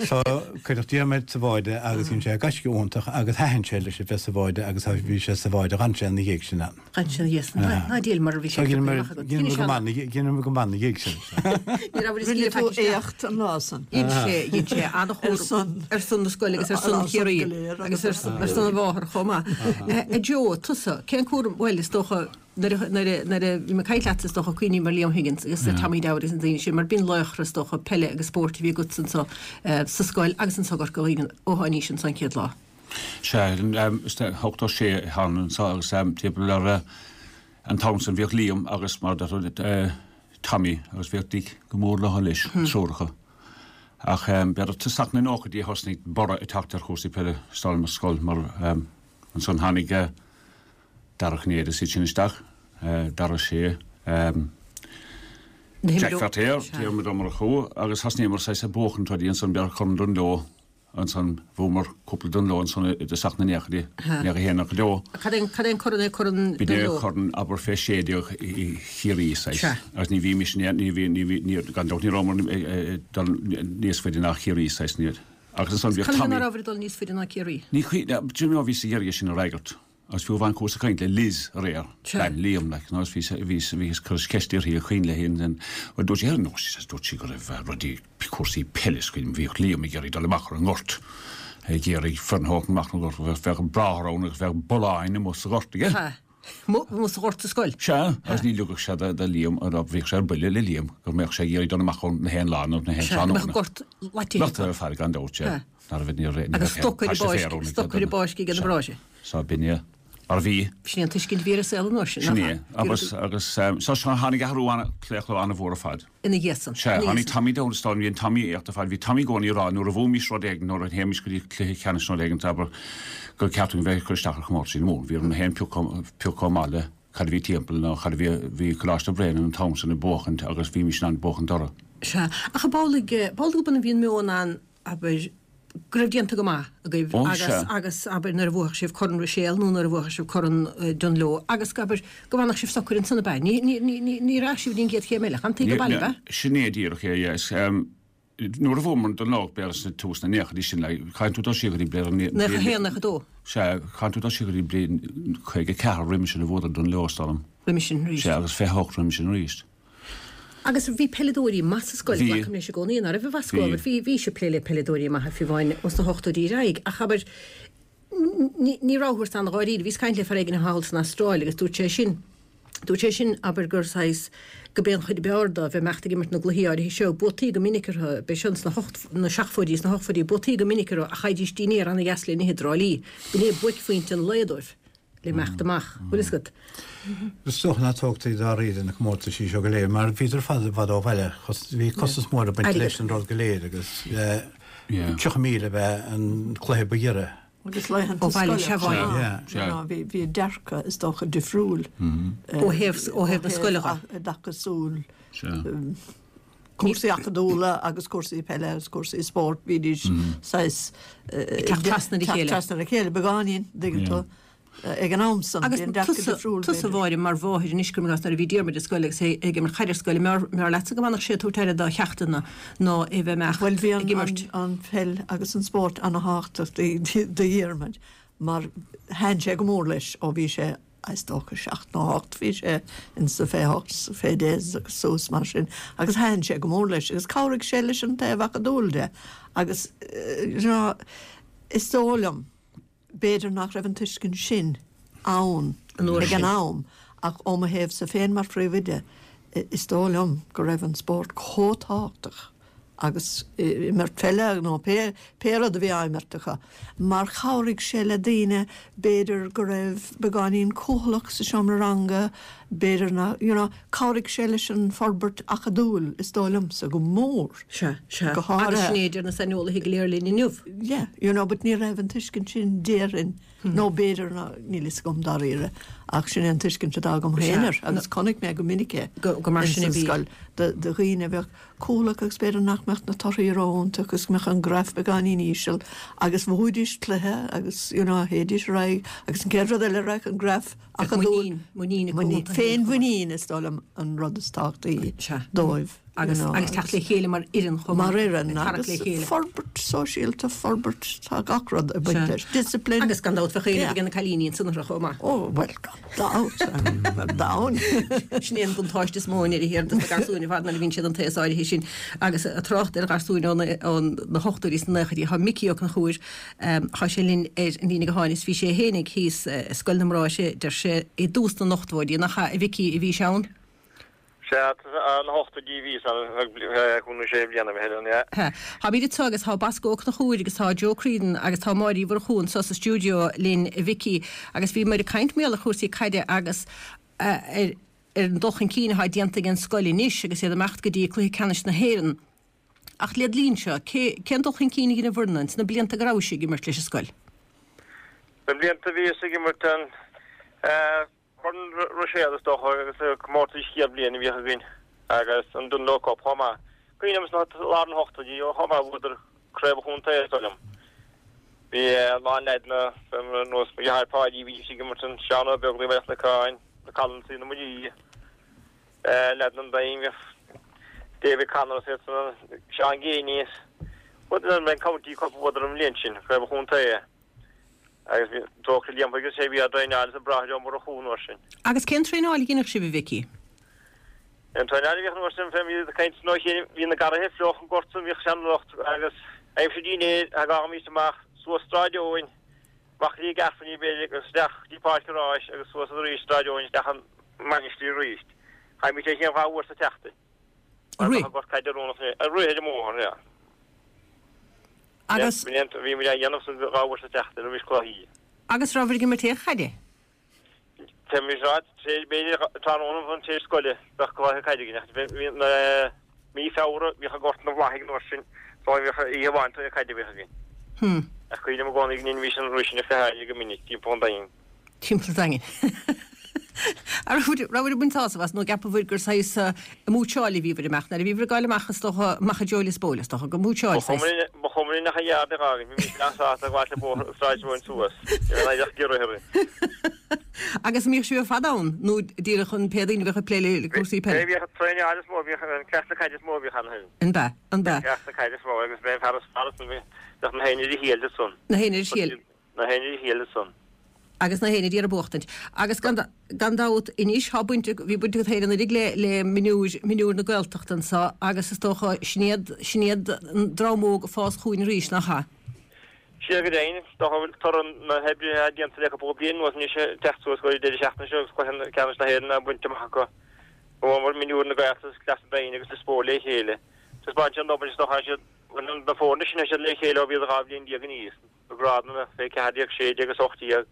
So, cuireadh Diarmuid sa bháide agus dhein sé gaisce iontach agus thaitin sé leis a bheith sa bháide agus bhí sé sa bháide, d'fhan sé ina dhiaidh sin ann. D'fhan sé ina dhiaidh sin. Ná díol mar a bhí sé ag piocadh amach agat. Dheineamar go maith ina dhiaidh sin. Ní raibh Rinne tú éacht an lá san. Dhein sé, dhein sé an-chúram ar son na scoile agus ar son Chiarraí agus ar son a mháthar chomh maith. A Joe, tusa, cén cúram, bhuel is dócha nuair a, nuair a, nuair a bhí mé ag caint leatsa is dócha cuimhním ar Liam Higgins agus ar Tommy Dowd agus na daoine sin mar b'in laochra is dócha peile agus spóirt a bhí agatsa anso sa scoil agus anso i gCorca Dhuibhne ó tháinís anso an chéad lá. Sea, is 86 a thána anso agus timpeall ar an t-am san bhíodh Liam agus mar a deir tú Tommy agus bhíodh Dick go mór leo leis, an triúr acu. Ach b'fhéidir tosach na nóchaidí a thosnaigh borradh ag teacht ar chúrsaí peile is dóigh liom sa scoil mar ansan tháinig Dara Ó Cinnéide is iad sin isteach, Dara Ó Sé, Jack Feirtéar, Diarmuid Ó Murchú agus thosnaíomar saghas ag buachaint rudaí ansan b'fhéidir Corn Dungloe Ansan bhuamar cúpla Dungloe ansan i dtosach na nóchaidí, 91, 92. Cad é cad é an corn é corn B'in é corn abair fé 16 Chiarraí saghas. Sea. Agus ní bhímis in aon, ní bhí, ní bhí, ní, gan dabht ní rabhamar ag dul níos faide ná Chiarraí saghas, ní, agus ansan bhíodh Conas Tommy. ná rabhabhair ag dul níos faide ná Ciarraí? Ní chuimhin, do you know bhíos ag iarraidh é sin a fhreagairt. Agus fiú amháin chuas ag caint le Liz aréir, bean Liam, like, you know, bhí, bhí, bhíos ag cur ceist uirthi an cuimhin léi an, an, bhuel dúirt sí, no, she says, dúirt sí go raibh rudaí, cúrsaí peile is cuimhin, bhíodh Liam ag iarraidh dul amach ar an ngort, ag iarraidh foireann a thabhairt amach ar an ngort, bheadh, bheadh bráthair ann agus bheadh bulláin amuigh sa ghort aige. Ha. Amuigh, amuigh sa ghort sa scoil? Sea, agus ní ligfeadh sé do, do Liam, bhíodh sé ar buile le Liam go mbeadh sé ag iarraidh dul amach ann na haon lá nó na haon Sea, go mbeadh an tráthnóna. gort loite Loite ar fad gan dabht, sea. Ha. Agus stoc ar an bpáisc, stoc ar an bpáisc ag an bpráiste. Sea, b'in é mar a bhí. Sin é an tuiscint a bhí ar an saol an uair sin, nach ea? Sin é. Agus, agus, so tháinig athrú an, claochló an-mhór ar fad. Ina dhiaidh san. Sea, tháinig Tommy Dowd is dóigh liom, bhí an Tommy éacht ar fad. Bhí Tommy i gcónaí ag rá nuair a bhuaimis rud éigin, nuair a théimis go dtí cluiche ceannais nó rud éigin, abair, gur ceart dúinn bheith ag cur isteach ar chomórtaisí na Mumhan. Bhí orm féin piocadh, piocadh chomh maith le cad a bhí timpeall nó cad a bhí, bhí Coláiste Bhréanainn an t-am san ag buachaint agus bhímis in ann buachaint orthu. Sea, ach b'amhlaidh, b'amhlaidh go b'ionann bhí an meon ann abair, go raibh déanta go maith agaibh agus, agus, abair, nuair a bhuafadh sibh Corn Ruiséal nó nuair a bhuafadh sibh Corn Dungloe agus, abair, go bhfanfadh sibh socair ansan, ab ea? Ní, ní, ní, ní, ní rachadh sibh dtí an gcéad chéim eile. Fantaí go baile, ab ea? Sin é díreach é, yeah. Is, nuair a bhuamar an Dungloe, b'fhéidir sna tús na naochaidí sin, like, caithfidh tú dul siar go dtí bliain, 91, 92. Sea, caithfidh tú dul siar go dtí bliain 54 roimhe sin a bhuadar Dungloe, is dóigh liom. Roimhe sin arís. Sea, agus 28 roimhe sin arís. Agus bhí peileadóirí maith sa scoil, Bhí. glacaim leis i gcónaí, ná raibh a Bhosco, Bhí. abair, bhí, bhí sibh ag plé le peileadóirí maithe fiú amháin ós na hochtóidí ar aghaidh, ach abair, ní, ní rabhthas an-dháiríre. Bhíos ag caint le fear éigin thall san Astráil agus dúirt sé sin, dúirt sé sin, abair, gur saghas, go b'é an chuid ab fhearr dó bheith ag imeacht ag imirt na gcluichí áirithe seo, buataí go minic orthu, b'é seo ins na hocht, na seachtóidí is na hochtóidí, buataí go minic orthu ach fhaighidís dinnéar an-dheas le n-ithe i dTrá Lí. B'in é buaicphointe an lae dóibh. le imeacht amach, bhfuil fhios agat. Is dócha nach dtógtaí dáiríre na comórtaisí seo go léir mar bhíodar ar fad i bhfad ó bhaile. Bhí costas mór ag baint leis an rud go léir agus 30,000 ab ea an cluiche ba ghiorra. Agus laethanta Ó bhaile, scoile sea, chomh bhaile. maith. You know, bhí bhí a dearcadh is dócha difriúil Ó thaobh ó thaobh na scoile dhe. i dtaca súil cúrsaí acadúla agus cúrsaí peile agus cúrsaí spóirt, bhídís saghas Ag teacht trasna ar a teacht chéile. trasna ar a chéile beagáinín, dtuigeann tú, ag an am san, Agus bhí an dearcadh tusa, difriúil tusa b'fhéidir. Mháire, mar mháthair anois cuirim i gcás nuair a bhí Diarmuid ar scoil agus é ag imirt caide ar scoil, an mb'fhearr, mb'fhearr leatsa go bhfanfadh sé ag tabhairt aire dá cheachtanna ná é bheith imeacht Bhuel bhí an, ag imirt? an, an pheil agus an spórt ana-thábhachtach do, do Dhiarmuid mar thaitin sé go mór leis ó bhí sé is dócha, 7 nó 8, bhí sé ins na fé 8, fé 10 agus suas mar sin agus thaitin sé go mór leis agus chabhraigh sé leis an taobh acadúil de agus you know is dóigh liom. B'fhéidir nach raibh an tuiscint sin ann ag an am ach ó mo thaobhsa féin mar phríomhoide, is dóigh liom go raibh an spórt chomh tábhachtach agus imirt peile nó pé pé rud a bhí á imirt acu mar chabhraigh sé le daoine b'fhéidir go raibh beagáinín cúthalach sa seomra ranga, b'fhéidir nach, you know, chabhraigh sé leis an forbairt acadúil is dóigh liomsa go mór. Sea, sea. Go háirithe. Agus sin é a deir na saineolaithe go léir linn inniu. Yeah, you know, but ní raibh an tuiscint sin déarfainn, nó b'fhéidir ná, níl fhios agam dáiríre, ach sin é an tuiscint atá agam féin air agus chonaic mé go minic é Go mar sin a ins an bhí. scoil, do dhaoine a bheadh cúthalach agus b'fhéidir nach mbeadh na torthaí ró-iontach agus go mbeadh an graf beagáinín íseal agus bhuaidís cluiche agus, you know, théidís ar aghaidh agus an chéad rud eile raghadh an graf acadúil, muinín, muinín acu. Féinmhuinín is dóigh liom an rud is tábhachtaí dóibh. Agus agus teacht le chéile mar fhoireann chomh maith. Mar fhoireann agus forbairt sóisialta, forbairt, tá gach rud ag baint leis. Discipline. Agus gan dabht bheadh éileamh ag na cailíní ansan orthu chomh maith. Ó bhuel gan dabht, ar domhan. Sin é an buntáiste is mó i ndeireadh thiar dos na garsúin ar fad nuair a bhíonn siad an t-aos áirithe sin. Agus ag trácht ar gharsúin ó na hochtóidí is na naochaidí, tá Micí Ó Conchúir, Thá sé linn ar an líne gutháin is bhí sé fhéinig thíos i Scoil na mBráithre, deir sé, i dtús na n-ochtóidí, nach ea, a Mhicí, a bhís ann? Sea, na hochtóidí a bhíos ann, feadh cúig nó sé bliana b'fhéidir, yeah. Sea. Táimid anseo agus tá Bosco Ó Conchúir agus tá Joe Creedon agus tá Máire Uí Mhurchú anseo sa stiúideo linn, a Mhicí, agus bhíomar ag caint mar gheall ar chúrsaí caide agus ar an dul chun cinn atá déanta ag an scoil anois agus iad ag imeacht go dtí Cluiche Ceannais na hÉireann. Ach led linn-se, cé, cén dul chun cinn a dhein an bhfoireann ins na blianta go rabhais ag imirt leis an scoil? Na blianta a bhíos ag imirt an Corn Ruiséal is dócha agus na comórtais chéad bhliain a bhíodh againn agus an Dunloe Cup chomh maith. Cuimhním sna lár na hochtóidí chomh maith bhuadar craobh an chontae is dóigh liom. Bhí a lán leaideanna ar nós mo dheartháir Páidí bhídís ag imirt an Seán Ó Beaglaoich Bhaile Chnocáin, na Collinsaí na Muirí. Leaideanna an Daingin, bhíodh David Connor is iad san, Seán Geaney is bhuadar an County Cup bhuadar an bhliain sin, Craobh an Chontae. Agus bhí Dóchra Liam agus sé bhí á dtraenáil is an Bráthair Ó Murchú an uair sin. Agus cén traenáil a dheineadh sibh a Mhicí? An traenáil a bhíodh an uair sin fé bhí ag caint nó chéile, bhí na garraithe fliuch an gort san, bhíodh sean-lucht agus aimsir dinnéir thagaimís amach suas Sráid Eoin, amach go dtí Gaffney b'fhéidir agus isteach go dtí Páirc an Ráis agus suas arís Sráid Eoin isteach an Mainistir arís. Chaithimís é sin dhá uair sa tseachtain. Ag rith? Mar gort caide oiriúnach é. Ag rith ar an mbóthar, yeah. Agus. Bhí muid á dhéanamh san dhá uair sa tseachtain roimis cluichí. Agus rabhabhair ag imirt aon chaide? Tá mise ag rá, b'fhéidir tráthnóna an tar éis scoile bheadh cluiche caide againn ach bhí na mí Feabhra bhíodh an gort ina bhláth ag an uair sin so bhíodh oíche amháin cluiche caide a bhíodh againn. Hmm. Ach cuimhním i gcónaí go ndeinimís an rith sin ar feadh aire go minic timpeall an Daingin. Timpeall an Daingin. An rabhabhair ag baint sásamh as nó gceapabhair gur saghas múitseáil a bhíobhair amach nuair a bhíobhair ag gabháil amach is dócha amach i dtreo Lios Póil is dócha gur múitseáil saghas. Ba chuma linn ach an yard a fhágaint, bhí mise an-sásta ag gabháil le bóthar Sráid Eoin suas, ní raibh aon ghiorra orainn. Agus an mbíodh sibh ar fad ann nó díreach an pé daoine a bhíodh ag plé le cúrsaí peile? Bhíodh an traenáil is mó a bhíodh, an cleachtadh caide is mó a bhíodh ann. An b'ea? An b'ea? An cleachtadh caide is mó agus b'é an fear is fearr ansan, bheadh na héinne ar a thriail ansan. Na héinne ar a thriail. Na héinne ar a thriail ansan. Agus na héinne d'iarraidh buachtaint. Agus gan gan dabht anois thá baint bhí baint agat féin anuiridh le le mionúir mionúir na Gaeltachta anso agus is dócha sin iad sin iad an dream óg ag fás chugainn arís, nach ea? Sea go deimhin, is dócha go bhfuil toradh na hoibre atá déanta le cúpla bliain anuas anois ag teacht suas go deireadh seachtaine seo agus cluiche ceannais na hÉireann á bhaint amach acu. Bhuamar mionúir na Gaeltachta agus Cleas an Daingin agus Lios Póil le chéile. Taispeánann sé an obair is dócha siad na foirne sin tá siad le chéile ó bhíodar 12 bhliain in aois. na grádanna fé 14, 16 agus 18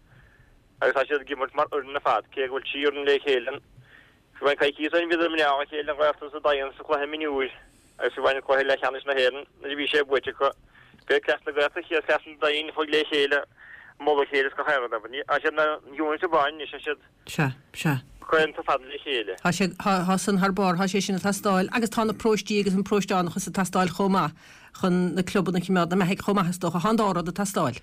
agus tá siad ag imirt mar fhoireann ar fad, cé go bhfuil trí fhoireann le chéile. Fiú amháin coicíos ó shin bhíodar i mná a chéile an Ghaeltacht sa Daingean sa chluiche mionúir agus fiú amháin an cluiche leathcheannais na hÉireann nuair a bhí sé buaite acu. B'é Cleas na Gaeltachta chéad Chleas an Daingin chuaigh le chéile ag moladh a chéile is gach aon rud. Tá siad ina unit amháin anois, tá siad Sea, sea. claonta fada le chéile. Tá sé, tá, tá san thar barr, tá sé sin ag teastáil agus tá na paróistí agus an paróisteánachas ag teastáil chomh maith chun na clubanna a choimeád na mbeathaidh chomh maith is dócha. Tá an dá rud ag teastáil.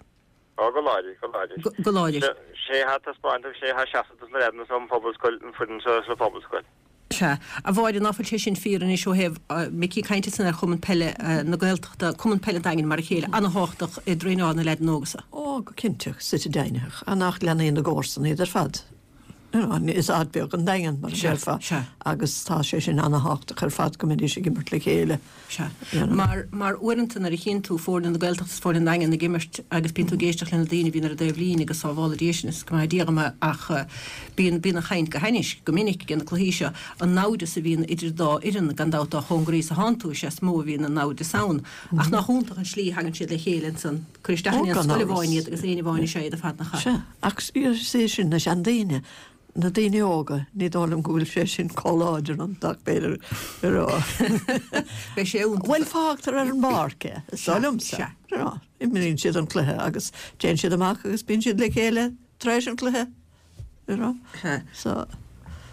Ó, go láidir, go láidir. Go, go láidir. Sé atá ag taispeáint agus sé atá ag seasamh dos na leaideanna sa phobalscoil, an foireann seo sa phobalscoil. Sea. A Mháire, ná fuil sé sin fíor anois ó thaobh Micí ag caint ansan ar Chumann Peile na Gaeltachta, Cumann Peile an Daingin mar a chéile, ana-thábhachtach i dtraenáil na leaideanna óga so. Ó, go cinnte, suite deimhnitheach. Nach leanaí na gcomharsan iad ar fad. You know, is áit beag an Daingean, mar a déarfá, agus tá sé sin ana-thábhachtach ar fad go mbeidís ag imirt le chéile. Sea. Mar, mar uaireanta nuair a chíonn tú foirne na Gaeltachta is foirne an Daingin ag imirt agus bíonn tú ag éisteacht le na daoine a bhíonn ar an dtaobh líne agus sábhála Dia sinn is go maithe Dia dhom é ach bíonn, bíonn an chaint go hainnis, go minic ag na cluichí seo, an naimhdeas a bhíonn idir an dá fhoireann, gan dabht dá chóngaraí is a thánn tú is ea is mó a bhíonn an naimhdeas ann. Ach nach iontach an slí a thagann siad le chéile ansan. Cuir isteach in aon scoil amháin iad agus éinne amháin is ea iad ar fad nach ea? Sea, ach is é sin na seandaoine, na daoine óga, ní dóigh liom go bhfuil sé sin chomh láidir iontu ach b'fhéidir go raibh. Beidh sé iontach. Bhuel, fágtar ar an bpáirc é, is dóigh liomsa. Sea. You know, imríonn siad an cluiche agus téann siad amach agus bíonn siad le chéile tar éis an chluiche. You know? So.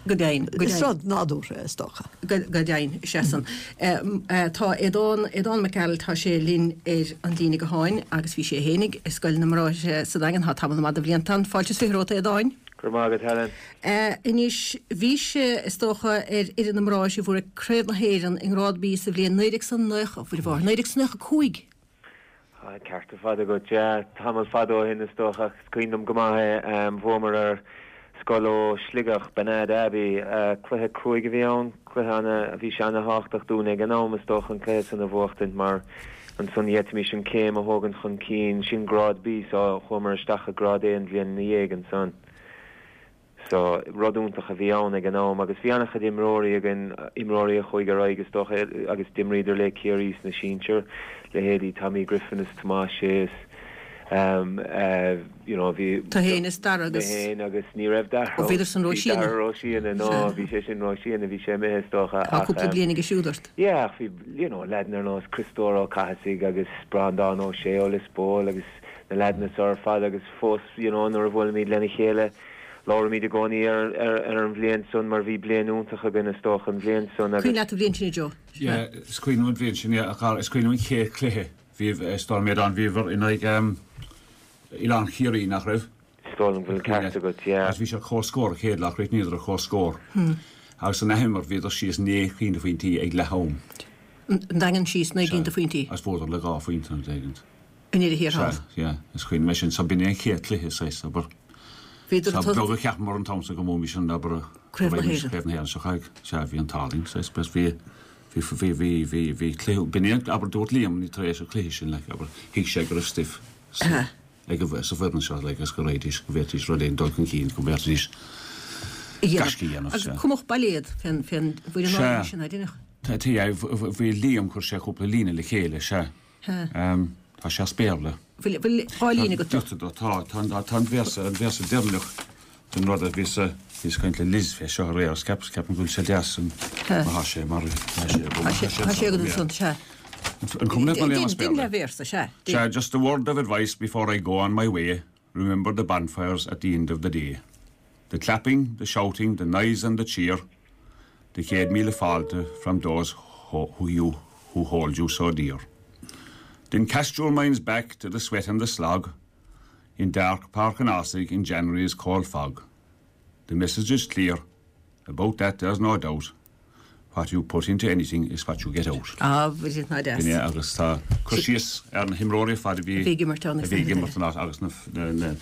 Go deimhin, go deimhin. Is rud nádúrtha é, is dócha. Go deimhin, is ea san. Tá Aodán, Aodán Mac Gearailt, tá sé linn ar an líne gutháin agus bhí sé fhéinig i Scoil na mBráithre sa Daingean, tá tamall maith de bhlianta ann. Fáilte is 20 romhat, a Aodáin. Go raibh maith agat, Helen. Anois, bhís, is dócha, ar fhoireann na mBráithre a bhuaigh Craobh na hÉireann i nGrád B sa bhliain 1990, a Mhuire Mháthair, 1995! Tá an ceart ar fad agat. Yeah, tamall fada ó shin is dócha ach is cuimhin liom go maith é. Bhuamar ar scoil ó Shligeach, Banad Abbey. Cluiche cruaidh a bhí ann, cluiche ana, bhí sé ana-thábhachtach dúinn ag an am is dócha an cluiche san a bhuachtaint mar ansan d'fhéadfaimis an céim a thógaint chun cinn, sin Grád B so chuamar isteach i Grád A an bhliain ina dhiaidh ansan. So, rud iontach a bhí ann ag an am agus bhí an-chuid imreoirí againn, imreoirí a chuaigh ar aghaidh is dócha agus d'imríodar le Ciarraí sna sinsir, leithéidí Tommy Griffin is Tomás Sé is you know bhí. Tú fhéin is Dara agus. Mé fhéin agus ní raibh Dara. Ó bhíodar san Bhí Dara ró-shine, no bhí sé sin ró-shine, bhí sé imithe is dócha ach. Tá cúpla bliain aige siúd ort. Yeah ach bhí you know leaideanna ar nós Criostóir Ó Cathasaigh agus Breandán Ó Sé ó Lios Póil agus na leaideanna so ar fad agus fós you know nuair a bhuailimid lena chéile labhraímid i gcónaí ar ar ar an bhliain san mar bhí bliain iontach againn is dócha an bhliain san agus. Cuimhin leat an bhliain sin a Joe? Yeah is cuimhin liom an bhliain sin yeah a chara is cuimhin liom an chéad chluiche bhí is dóigh liom Aodán bhíobhair in aghaidh ehm Oileán Chiarraí nach raibh? Is dóigh liom go bhfuil an ceart agat yeah. Agus bhí sé ar comhscór an chéad lá chríochnaíodar ar comhscór agus san athimirt bhíodar síos 9 cinn de phointí ag leath am. An Daingean síos 9 gcinn de phointí. Agus bhuadar le 2 phointe nó rud éigint. I ndeireadh thiar thall. Sea, yeah, is cuimhin liom é sin. So b'in é an chéad cluiche, saghas, abair. Bhíodar ag Ba bheag a cheapamar an t-am san go mbuaimis an, abair, Craobh na hÉireann. Craobh na hÉireann seo chugainn. Sea, bhí an t-ádh linn, saghas, b'es bhí, bhí, bhí, bhí, bhí, bhí cluiche, b'in é an, abair, dúirt Liam tar éis an chluiche sin, like, abair, thuig sé go raibh stuif sa, ag an, sa bhfoireann seo, like, agus go raghaidís, go bhféadfaidís rud éigin dul chun cinn, go bhféadfaidís gaisce a dhéanamh, sea. Agus cumadh bailéad fén, fén bhfoireann áirithe sin, a deineadh? Tá, tá, bhí Liam, chuir sé cúpla líne le chéile, sea. Tá sé as Béarla. Bhfuil 2 líne agat dó? Tá, tá, tá an véarsa, an véarsa deireanach den rud a bhíos, bhíos ag caint le Liz fé seo aréir agus ceap, ceapaim go bhfuil sé deas an, má tá sé mar, tá sé, tá sé, tá sé agat ansan, sea. An cuma leat má léim as Béarla? Déan leathbhéarsa, sea. Sea, just a word of advice before I go on my way, remember the bonfires at the end of the day. The clapping, the shouting, the noise and the cheer, the 100,000 fáilte from those who you who hold you so dear. Then cast your minds back to the sweat and the slog in dark Páirc an Ásaigh in January's cold fog. The message is clear, about that there's no doubt, what you put into anything is what you get out. Ah, bhí ná deas. B'in é agus tá cur síos ar na himreoirí ar fad a bhí ag imirt ann a bhí ag imirt an agus na na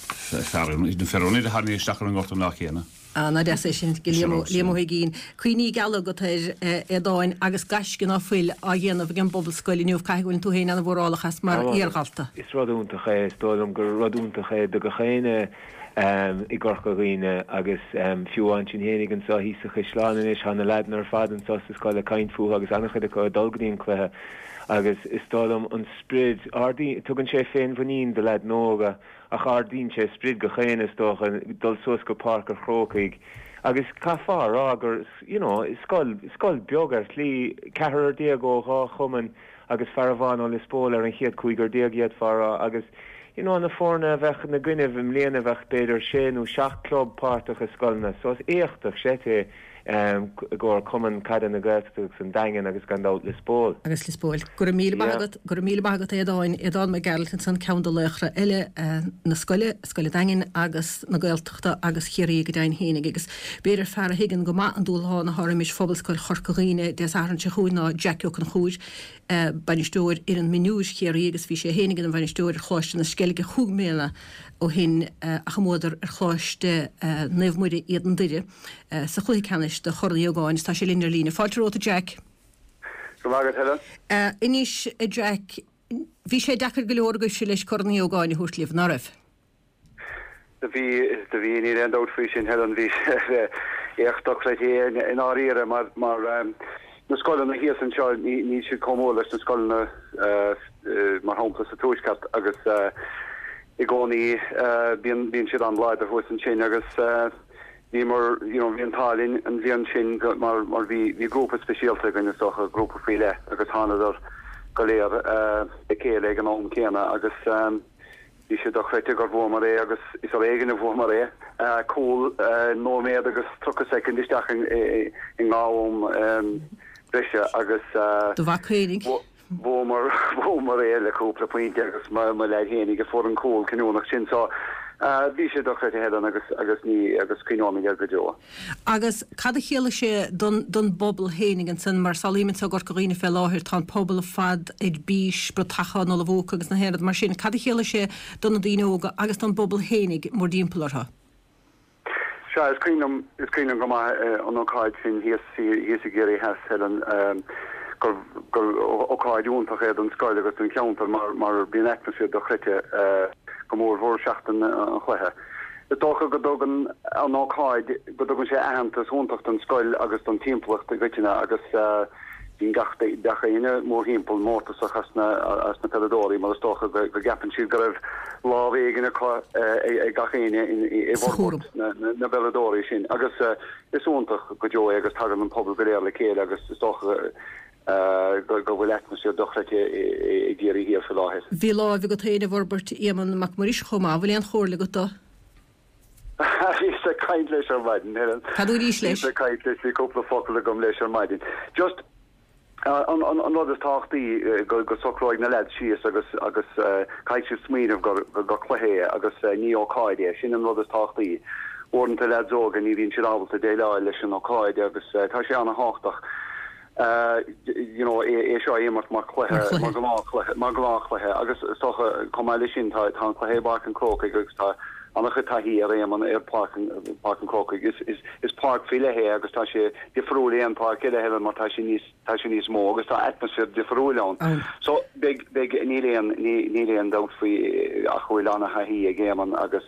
fear a tháinig isteach ar an ngort an lá céanna. Ah, ná deas é sin, go Liam Ó hUiginn. Cuimhní geala agat air, a Aodáin, agus gaisce ná fuil á dhéanamh ag an bPobalscoil inniu. Caithfidh go bhfuileann tú féin ana-mhórálach as mar iardhalta. Is rud iontach é, is dóigh liom gur rud iontach é do gach éinne i gCorca Dhuibhne agus fiú ansin fhéinig anseo thíos sa Chaisleán anois, tá na leaideanna ar fad anseo sa scoil ag caint fúthu agus an-chuid acu ag dul go dtí an cluiche agus is dóigh liom an sprid, tugann sé féinmhuinín do leaideanna óga. Ach ardaíonn sé sprid gach éinne, is dócha, dul suas go Páirc an Chrócaigh agus caithfeá a rá gur, you know, scoil, scoil beag ar shlí, ceathrar déag ó dhá chumann agus fear amháin ó Lios Póil ar an chéad cúigear déag d'fhéadfá a rá agus, you know, na foirne a bheadh ina gcoinnibh i mbliana bheadh b'fhéidir sé nó seacht club páirteach i scoileanna so is éachtach seit é. I gcomhair Cumann Caide na Gaeltachta agus an Daingean agus gan dabht Lios Póil. Agus Lios Póil. Go raibh míle maith agat, go raibh míle maith agat a Aodáin, Aodán Mac Gearailt ansan, ceann de laochra eile na scoile, Scoil an Daingin agus na Gaeltachta agus Chiarraí go deimhin fhéinig. Agus b'fhéidir fear a thuigeann go maith an dúshlán atá roimis Phobalscoil Chorca Dhuibhne Dé Sathairn seo chugainn ná Jack Ó Conchúir, bainisteoir fhoireann mionúir Chiarraí agus bhí sé fhéinig ina bhainisteoir ar Choláiste na Sceilge chúig mbliana ó shin ach a mbuadar ar Choláiste Naomh Muire Éadan Doire sa chluiche ceannais do Chorn Uí Ógáin is tá sé linn ar líne. Fáilte romhat a Jack. Go raibh maith agat Helen. Anois a Jack, bhí sé deacair go leor agaibhse leis Corn Uí Ógáin a thabhairt libh, ná raibh? Do bhí, do bhí, níl aon dabht faoi sin Helen, bhí sé éacht dochreidte i ndáiríre mar, mar na scoileanna thíos anseo ní, níl siad chomh mór leis na scoileanna mar shampla sa Tuaisceart agus i gcónaí bíonn, bíonn siad an-láidir thuas ansin agus bhíomar, you know, bhí an t-ádh linn an bhliain sin go, mar, mar bhí, bhí grúpa speisialta againn is dócha, grúpa faoi leith agus thánadar go léir le chéile ag an am céanna agus bhí sé dochreidte gur bhuamar é agus is ar éigean a bhuamar é. Cúl nóiméad agus 30 soicind isteach i ngá am breise agus Do mhac fhéinig. Bhuamar, bhuamar é le cúpla pointe agus mo leaid fhéinig a fuair an cúl cinniúnach sin so bhí sé dochreidte Helen agus, agus ní, agus cuimhneoimid air go deo. Agus cad a chiallaigh sé don, don bpobal fhéinig ansan mar samhlaím anso i gCorca Dhuibhne fé láthair tá an pobal ar fad ar bís, bratacha á n-ullmhú acu agus na haon rud mar sin, cad a chiallaigh sé do na daoine óga agus don bpobal fhéinig mórdtimpeall orthu? Sea, is cuimhin liom, is cuimhin liom go maith an ócáid sin thíos, thíos i gCiarraí Theas, Helen, gur, gur ócáid iontach é don scoil agus don cheantar mar, mar bíonn atmaisféar dochreidte, go mór mhór seachtain an chluiche. Is dócha go dtugann an ócáid, go dtugann sé aitheantas iontach don scoil agus don timpeallacht i gcoitinne agus, Bíonn gach gach éinne mórthimpeall mórtasach as na as na peileadóirí mar is dócha go go gceapann siad go raibh lámh éigin acu ag gach éinne i bhforbairt na na bpeileadóirí sin agus is iontach go deo é agus tagann an pobal go léir le chéile agus is dócha go go bhfuil atmaisféar dochreidte i gCiarraí Thiar faoi láthair. Bhí láimh agat féin i bhforbairt Éamonn Mac Muiris chomh maith. Bhfuil aon chomhairle agat dó? Bhíos ag caint leis ar maidin, Helen. Cad dúraís leis? Bhíos ag caint leis, bhí cúpla focal agam leis ar maidin. Just, an, an, an rud is tábhachtaí, go, go socróidh na leaids síos agus, agus caithfidh siad smaoineamh gur, gur cluiche é agus ní ócáid é. Sin an rud is tábhachtaí. Uaireanta leaids óga ní bhíonn siad ábalta déileáil leis an ócáid agus tá sé ana-thábhachtach. you know, é seo a imirt mar chluiche, mar ghnáthchluiche, mar ghnáthchluiche agus is dócha, chomh maith leis sin, tá tá an cluiche i bPáirc an Chrócaigh agus tá an-chuid taithí ar Éamonn ar Pháirc an Páirc an Chrócaigh. Is is is páirc faoi leith é agus tá sé difriúil aon pháirc eile Helen mar tá sé níos tá sé níos mó agus tá atmaisféar difriúil ann. So beidh beidh níl aon níl aon dabht faoi ach go bhfuil an-thaithí ag Éamonn agus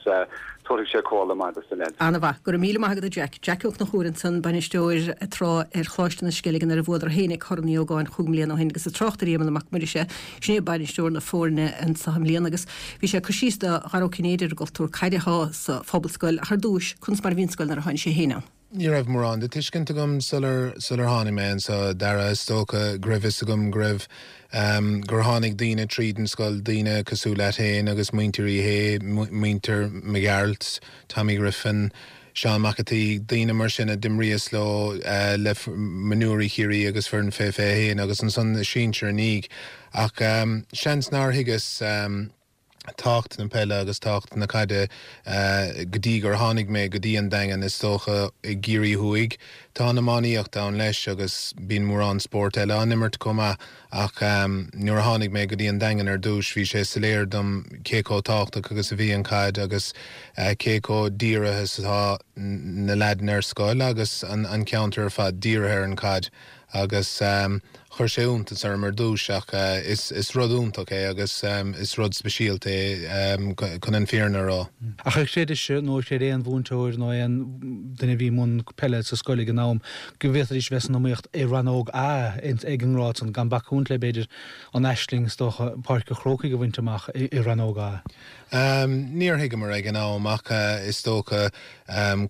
Tabharfaidh sé comhairle maith dos na leaids. Ana-mhaith. Go raibh míle maith agat a Jack. Jack Ó Conchúir ansan, bainisteoir tráth ar Choláiste na Sceilge nuair a bhuadar fhéinig Corn Uí Ógáin chúig mbliana ó shin agus ag trácht ar Éamonn Mac Muiris, sin é bainisteoir na foirne anso i mbliana agus bhí sé ag cur síos do Dhara Ó Cinnéide ar an gcultúr caide atá sa Phobalscoil ach ar dtúis, conas mar a bhí an scoil nuair a tháinig sé féin ann. Ní raibh mórán de tuiscint agam sular sular tháinig mé anseo, a Dhara. Is dócha go raibh fhios agam go raibh gur tháinig daoine tríd an scoil, daoine cosúil leat féin agus muintir Uí Shé, muintir Mac Gearailt, Tommy Griffin, Seán Mac an tSaoi, daoine mar sin a d'imríos leo le mionúirí Chiarraí agus foireann fé 21 agus ansan na sinsir i ndiaidh. Ach seans nár thuigeas tábhacht na peile agus tábhacht na caide go dtí gur tháinig mé go dtí an Daingean, is dócha, i gCiarraí Thuaidh. Tá an iománaíocht ann leis agus bíonn mórán spórt eile á n-imirt chomh maith ach nuair a tháinig mé go dtí an Daingean ar dtús bhí sé soiléir dom cé chomh tábhachtach agus a bhí an chaid agus cé chomh dírithe is atá na leaideanna ar scoil agus an ceantar ar fad dírithe ar an chaid. agus chuir sé iontas orm ar dtús ach is rud iontach é agus is rud speisialta é chun an fírinne a rá. Ach ar chreidis-se nó ar chreid aon mhúinteoir nó aon duine a bhí i mbun peile sa scoil ag an am go bhféadfaidís bheith san iomaíocht i rannóg A ag an ngrád san, gan bacúint le b'fhéidir an aisling is dócha Páirc an Chrócaigh a bhaint amach i rannóg A? Níor thuigeamar ag an am ach is dócha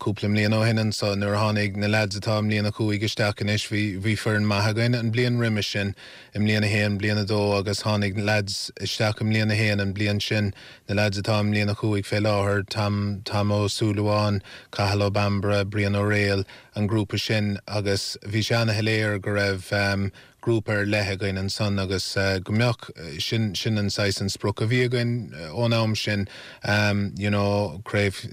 cúpla mbliain ó shin anso nuair a tháinig na leaids atá i mbliain a chúig isteach anois bhí bhí foireann maith againn an bliain roimis sin i mbliain a haon, bliain a dó agus tháinig leaids isteach i mbliain a haon an bliain sin, na leaids atá i mbliain a chúig fé láthair, Tom Tom Ó Súilleabháin, Cathal Ó Bambaire, Brian Ó Raghallaigh. an grúpa sin agus bhí sé ana-shoiléir go raibh grúpa ar leith againn ansan agus go mbeadh, sin, sin an saghas an sprioc a bhí againn ón am sin you know craobh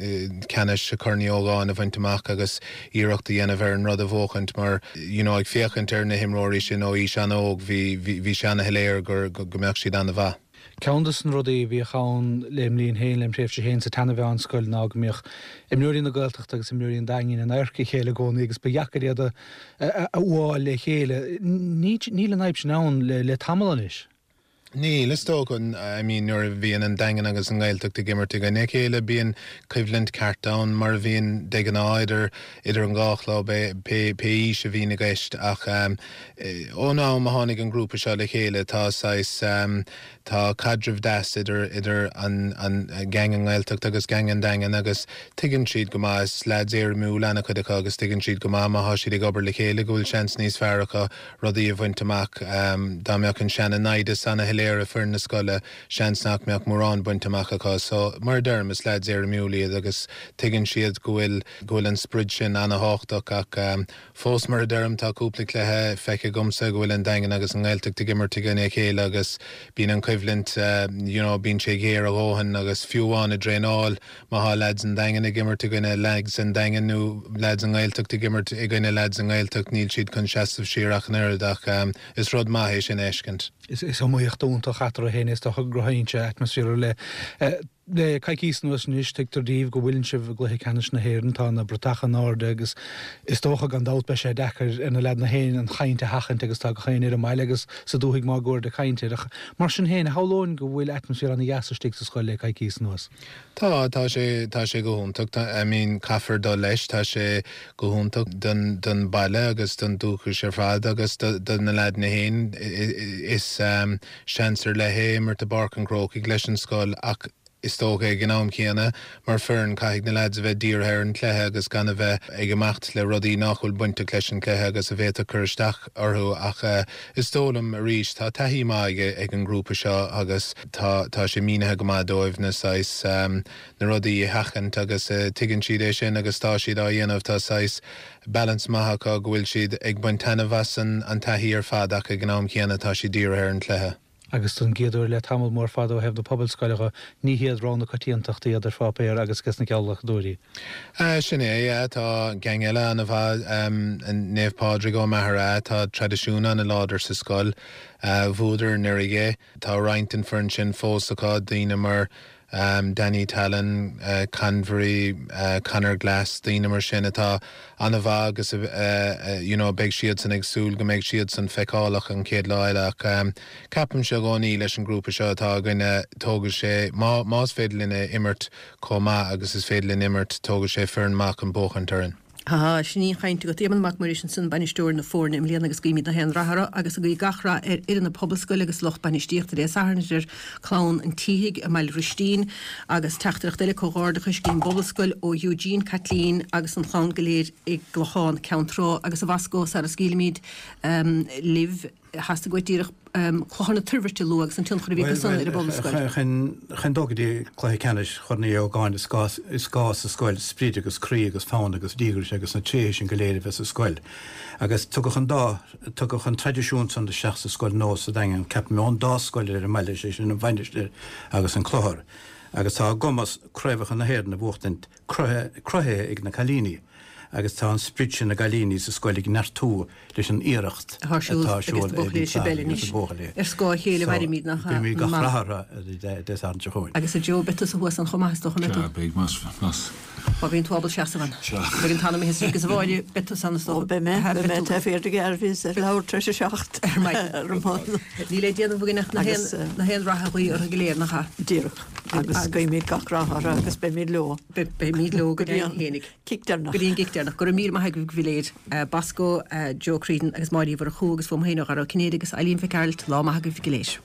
ceannais Chorn Uí Ógáin a bhaint amach agus iarracht a dhéanamh ar an rud a bhuachaint mar you know ag féachaint ar na himreoirí sin ó aois an-óg bhí, bhí, bhí sé ana-shoiléir gur, go mbeadh siad ana-mhaith. Ceann de na rudaí a bhíodh ann lem linn féin, lem thréimhse féin sa tseana-mheánscoil ná go mbíodh imreoirí na Gaeltachta agus imreoirí an Daingin in adharca a chéile i gcónaí agus ba dheacair iad a fhuáil le chéile. Níl an fhadhb sin ann le tamall anois. Níl, is dócha. I mean nuair a bhíonn an Daingean agus an Ghaeltacht ag imirt i gcoinne a chéile bíonn coimhlint ceart ann mar a bhíonn de ghnáth idir idir an dhá chlub, pé aois a bhíonn i gceist ach ón am a tháinig an grúpa seo le chéile tá saghas, tá caidreamh deas idir, idir an, an gang an nGaeltacht agus gang an Daingin agus tuigeann siad go maith, is leaids éirimiúil an-chuid acu agus tuigeann siad go maith má thá siad ag obair le chéile go bhfuil seans níos fearr acu rudaí a bhaint amach. Dá mbeadh an seana-naimhdeas ana-shoiléir i foireann na scoile, seans nach mbeadh mórán bainte amach acu. So, mar a deirim, is leaids éirimiúil iad agus tuigeann siad go bhfuil, go bhfuil an sprid sin ana-thábhachtach ach fós, mar a deirim, tá cúpla cluiche feicthe agamsa go bhfuil an Daingean agus an nGaeltacht ag imirt i gcoinne a chéile agus bíonn an choimhlint, you know, bíonn sé géar a dhóthain agus fiú amháin i dtraenáil, má thá leaids an Daingin ag imirt i gcoinne leaids an Daingin nó leaids an nGaeltacht ag imirt i gcoinne leaids an nGaeltacht, níl siad chun seasamh siar ach an oiread ach is rud maith é sin a fheiscint. Is iomaíocht iontach eatarthu féin is dócha go gcruthaíonn sé atmaisféar ar leith. Le coicíos anuas anois, tuigtear daoibh go bhfuileann sibh i gcluiche ceannais na hÉireann, tá na bratacha in airde agus is dócha gan dabht beidh sé deacair ar na leaideanna féin an chaint a sheachaint agus tá gach éinne ar an mbaile agus sa dúthaigh máguaird ag caint air. Ach mar sin féin, shamhlóinn go bhfuil atmaisféar ana-dheas istigh sa scoil le coicíos anuas. Tá, tá sé, tá sé go hiontach. Tá, I mean, caithfear dul leis, tá sé go hiontach don, don baile agus don dúchais ar fad agus do, do na leaideanna féin. Is seans ar leith é imirt i bPáirc an Chrócaigh leis an scoil ach is dócha ag an am chéanna, mar foireann, caithfidh na leaids a bheith dírithe ar an chluiche agus gan a bheith ag imeacht le rudaí nach bhfuil bainteach leis an chluiche agus a bhféadfadh cur isteach orthu ach is dóigh liom, arís, tá taithí maith ag, ag an ngrúpa seo agus. Tá, tá sé mínithe go maith dóibh na saghas, na rudaí a sheachaint agus tuigeann siad é sin agus tá siad á dhéanamh. Tá saghas balance maith acu go bhfuil siad ag baint taitneamh as an an taithí ar fad ach ag an am chéanna tá siad dírithe ar an chluiche. Agus don gcéad uair le tamall mór fada ó thaobh na pobalscoile dho, ní hiad rogha na coitiantachta iad ar pháipéar agus ages na geallghlacadóirí. Sin é, yeah. Tá gang eile an-mhaith, Naomh Pádraig ó Maghera, tá traidisiún an-láidir sa scoil. Bhuadar anuraidh é. Tá roinnt den foireann sin fós acu, daoine mar Danny Tallon, Convery, Conor Glass, daoine mar sin atá an-mhaith agus you know beidh siadsan ag súil go mbeidh siadsan feiceálach an chéad lá eile ach ceapaimse i gcónaí leis an grúpa seo atá againne tógfaidh sé, má, más féidir linn imirt chomh maith agus is féidir linn imirt, tógfaidh sé foireann maith chun buachaint orainn. Tá, sin í an chaint agat. Éamonn Mac Muiris ansin, bainisteoir na foirne i mbliana agus guímid na haon rath orthu agus ag guí gach rath ar fhoireann na Pobalscoile agus lucht bainistíochta Dé Sathairn idir Clann an tSíthigh i mBaile Bhristín agus teachtaireacht eile comhghairdeachais go dtí an bPobalscoil ó Eugene, Caitlín agus an chlann go léir i gClochán Ceann Trá agus a Bhosco sara scaoilimid libh. Theastaigh uait díreach Clochar na Toirbhirte a lua agus an tionchar a bhí acu san ar an bPobalscoil. Chun dul go dtí cluiche ceannais Chorn Uí Ógáin is gá is gá sa scoil sprid agus croí agus fonn agus díograis agus na tréithe sin go léir a bheith sa scoil. Agus tugadh an dá tugadh an traidisiún san isteach sa scoil nua sa Daingean, ceapaim, ón dá scoil ar an mbaile, sé sin an Mhainistir agus an Clochar. Agus tá a gcumas craobhacha na hÉireann a bhuachtaint cruthaithe ag na cailíní agus tá an sprid sin na gcailíní sa scoil ag neartú leis an iarracht atá ar siúl ag na buachaillí anois. Ar scáth a chéile a mhairimid, nach ea? Guímid gach rath orthu Dé Sathairn seo chugainn. Agus a Joe, beidh tusa thuas ann chomh maith is dócha, an mbeidh tú? Sea, beidh, más, más. Má bhíonn tú ábalta seasamh ann. Sea. Beidh an t-anam imithe istigh agus a Mháire, beidh tusa ann is dócha. Ó, beidh mé, beidh mé taobh thiar de gearr, bhíos ag labhairt tar éis a 7 ar maidin. Níl le déanamh againn ach na haon rath a ghuí orthu go léir, nach ea? Díreach. Agus guímid gach rath orthu agus beimid leo. Beimid leo go dtí an cic deireanach. Go dtí an gcic deireanach. Go raibh míle maith agaibh go léir. Bosco, Joe Creedon agus Máire Uí Mhurchú agus fúm féin ó Dhara Ó Cinnéide agus Eileen Mhic Gearailt. Lá maith agaibh go léir.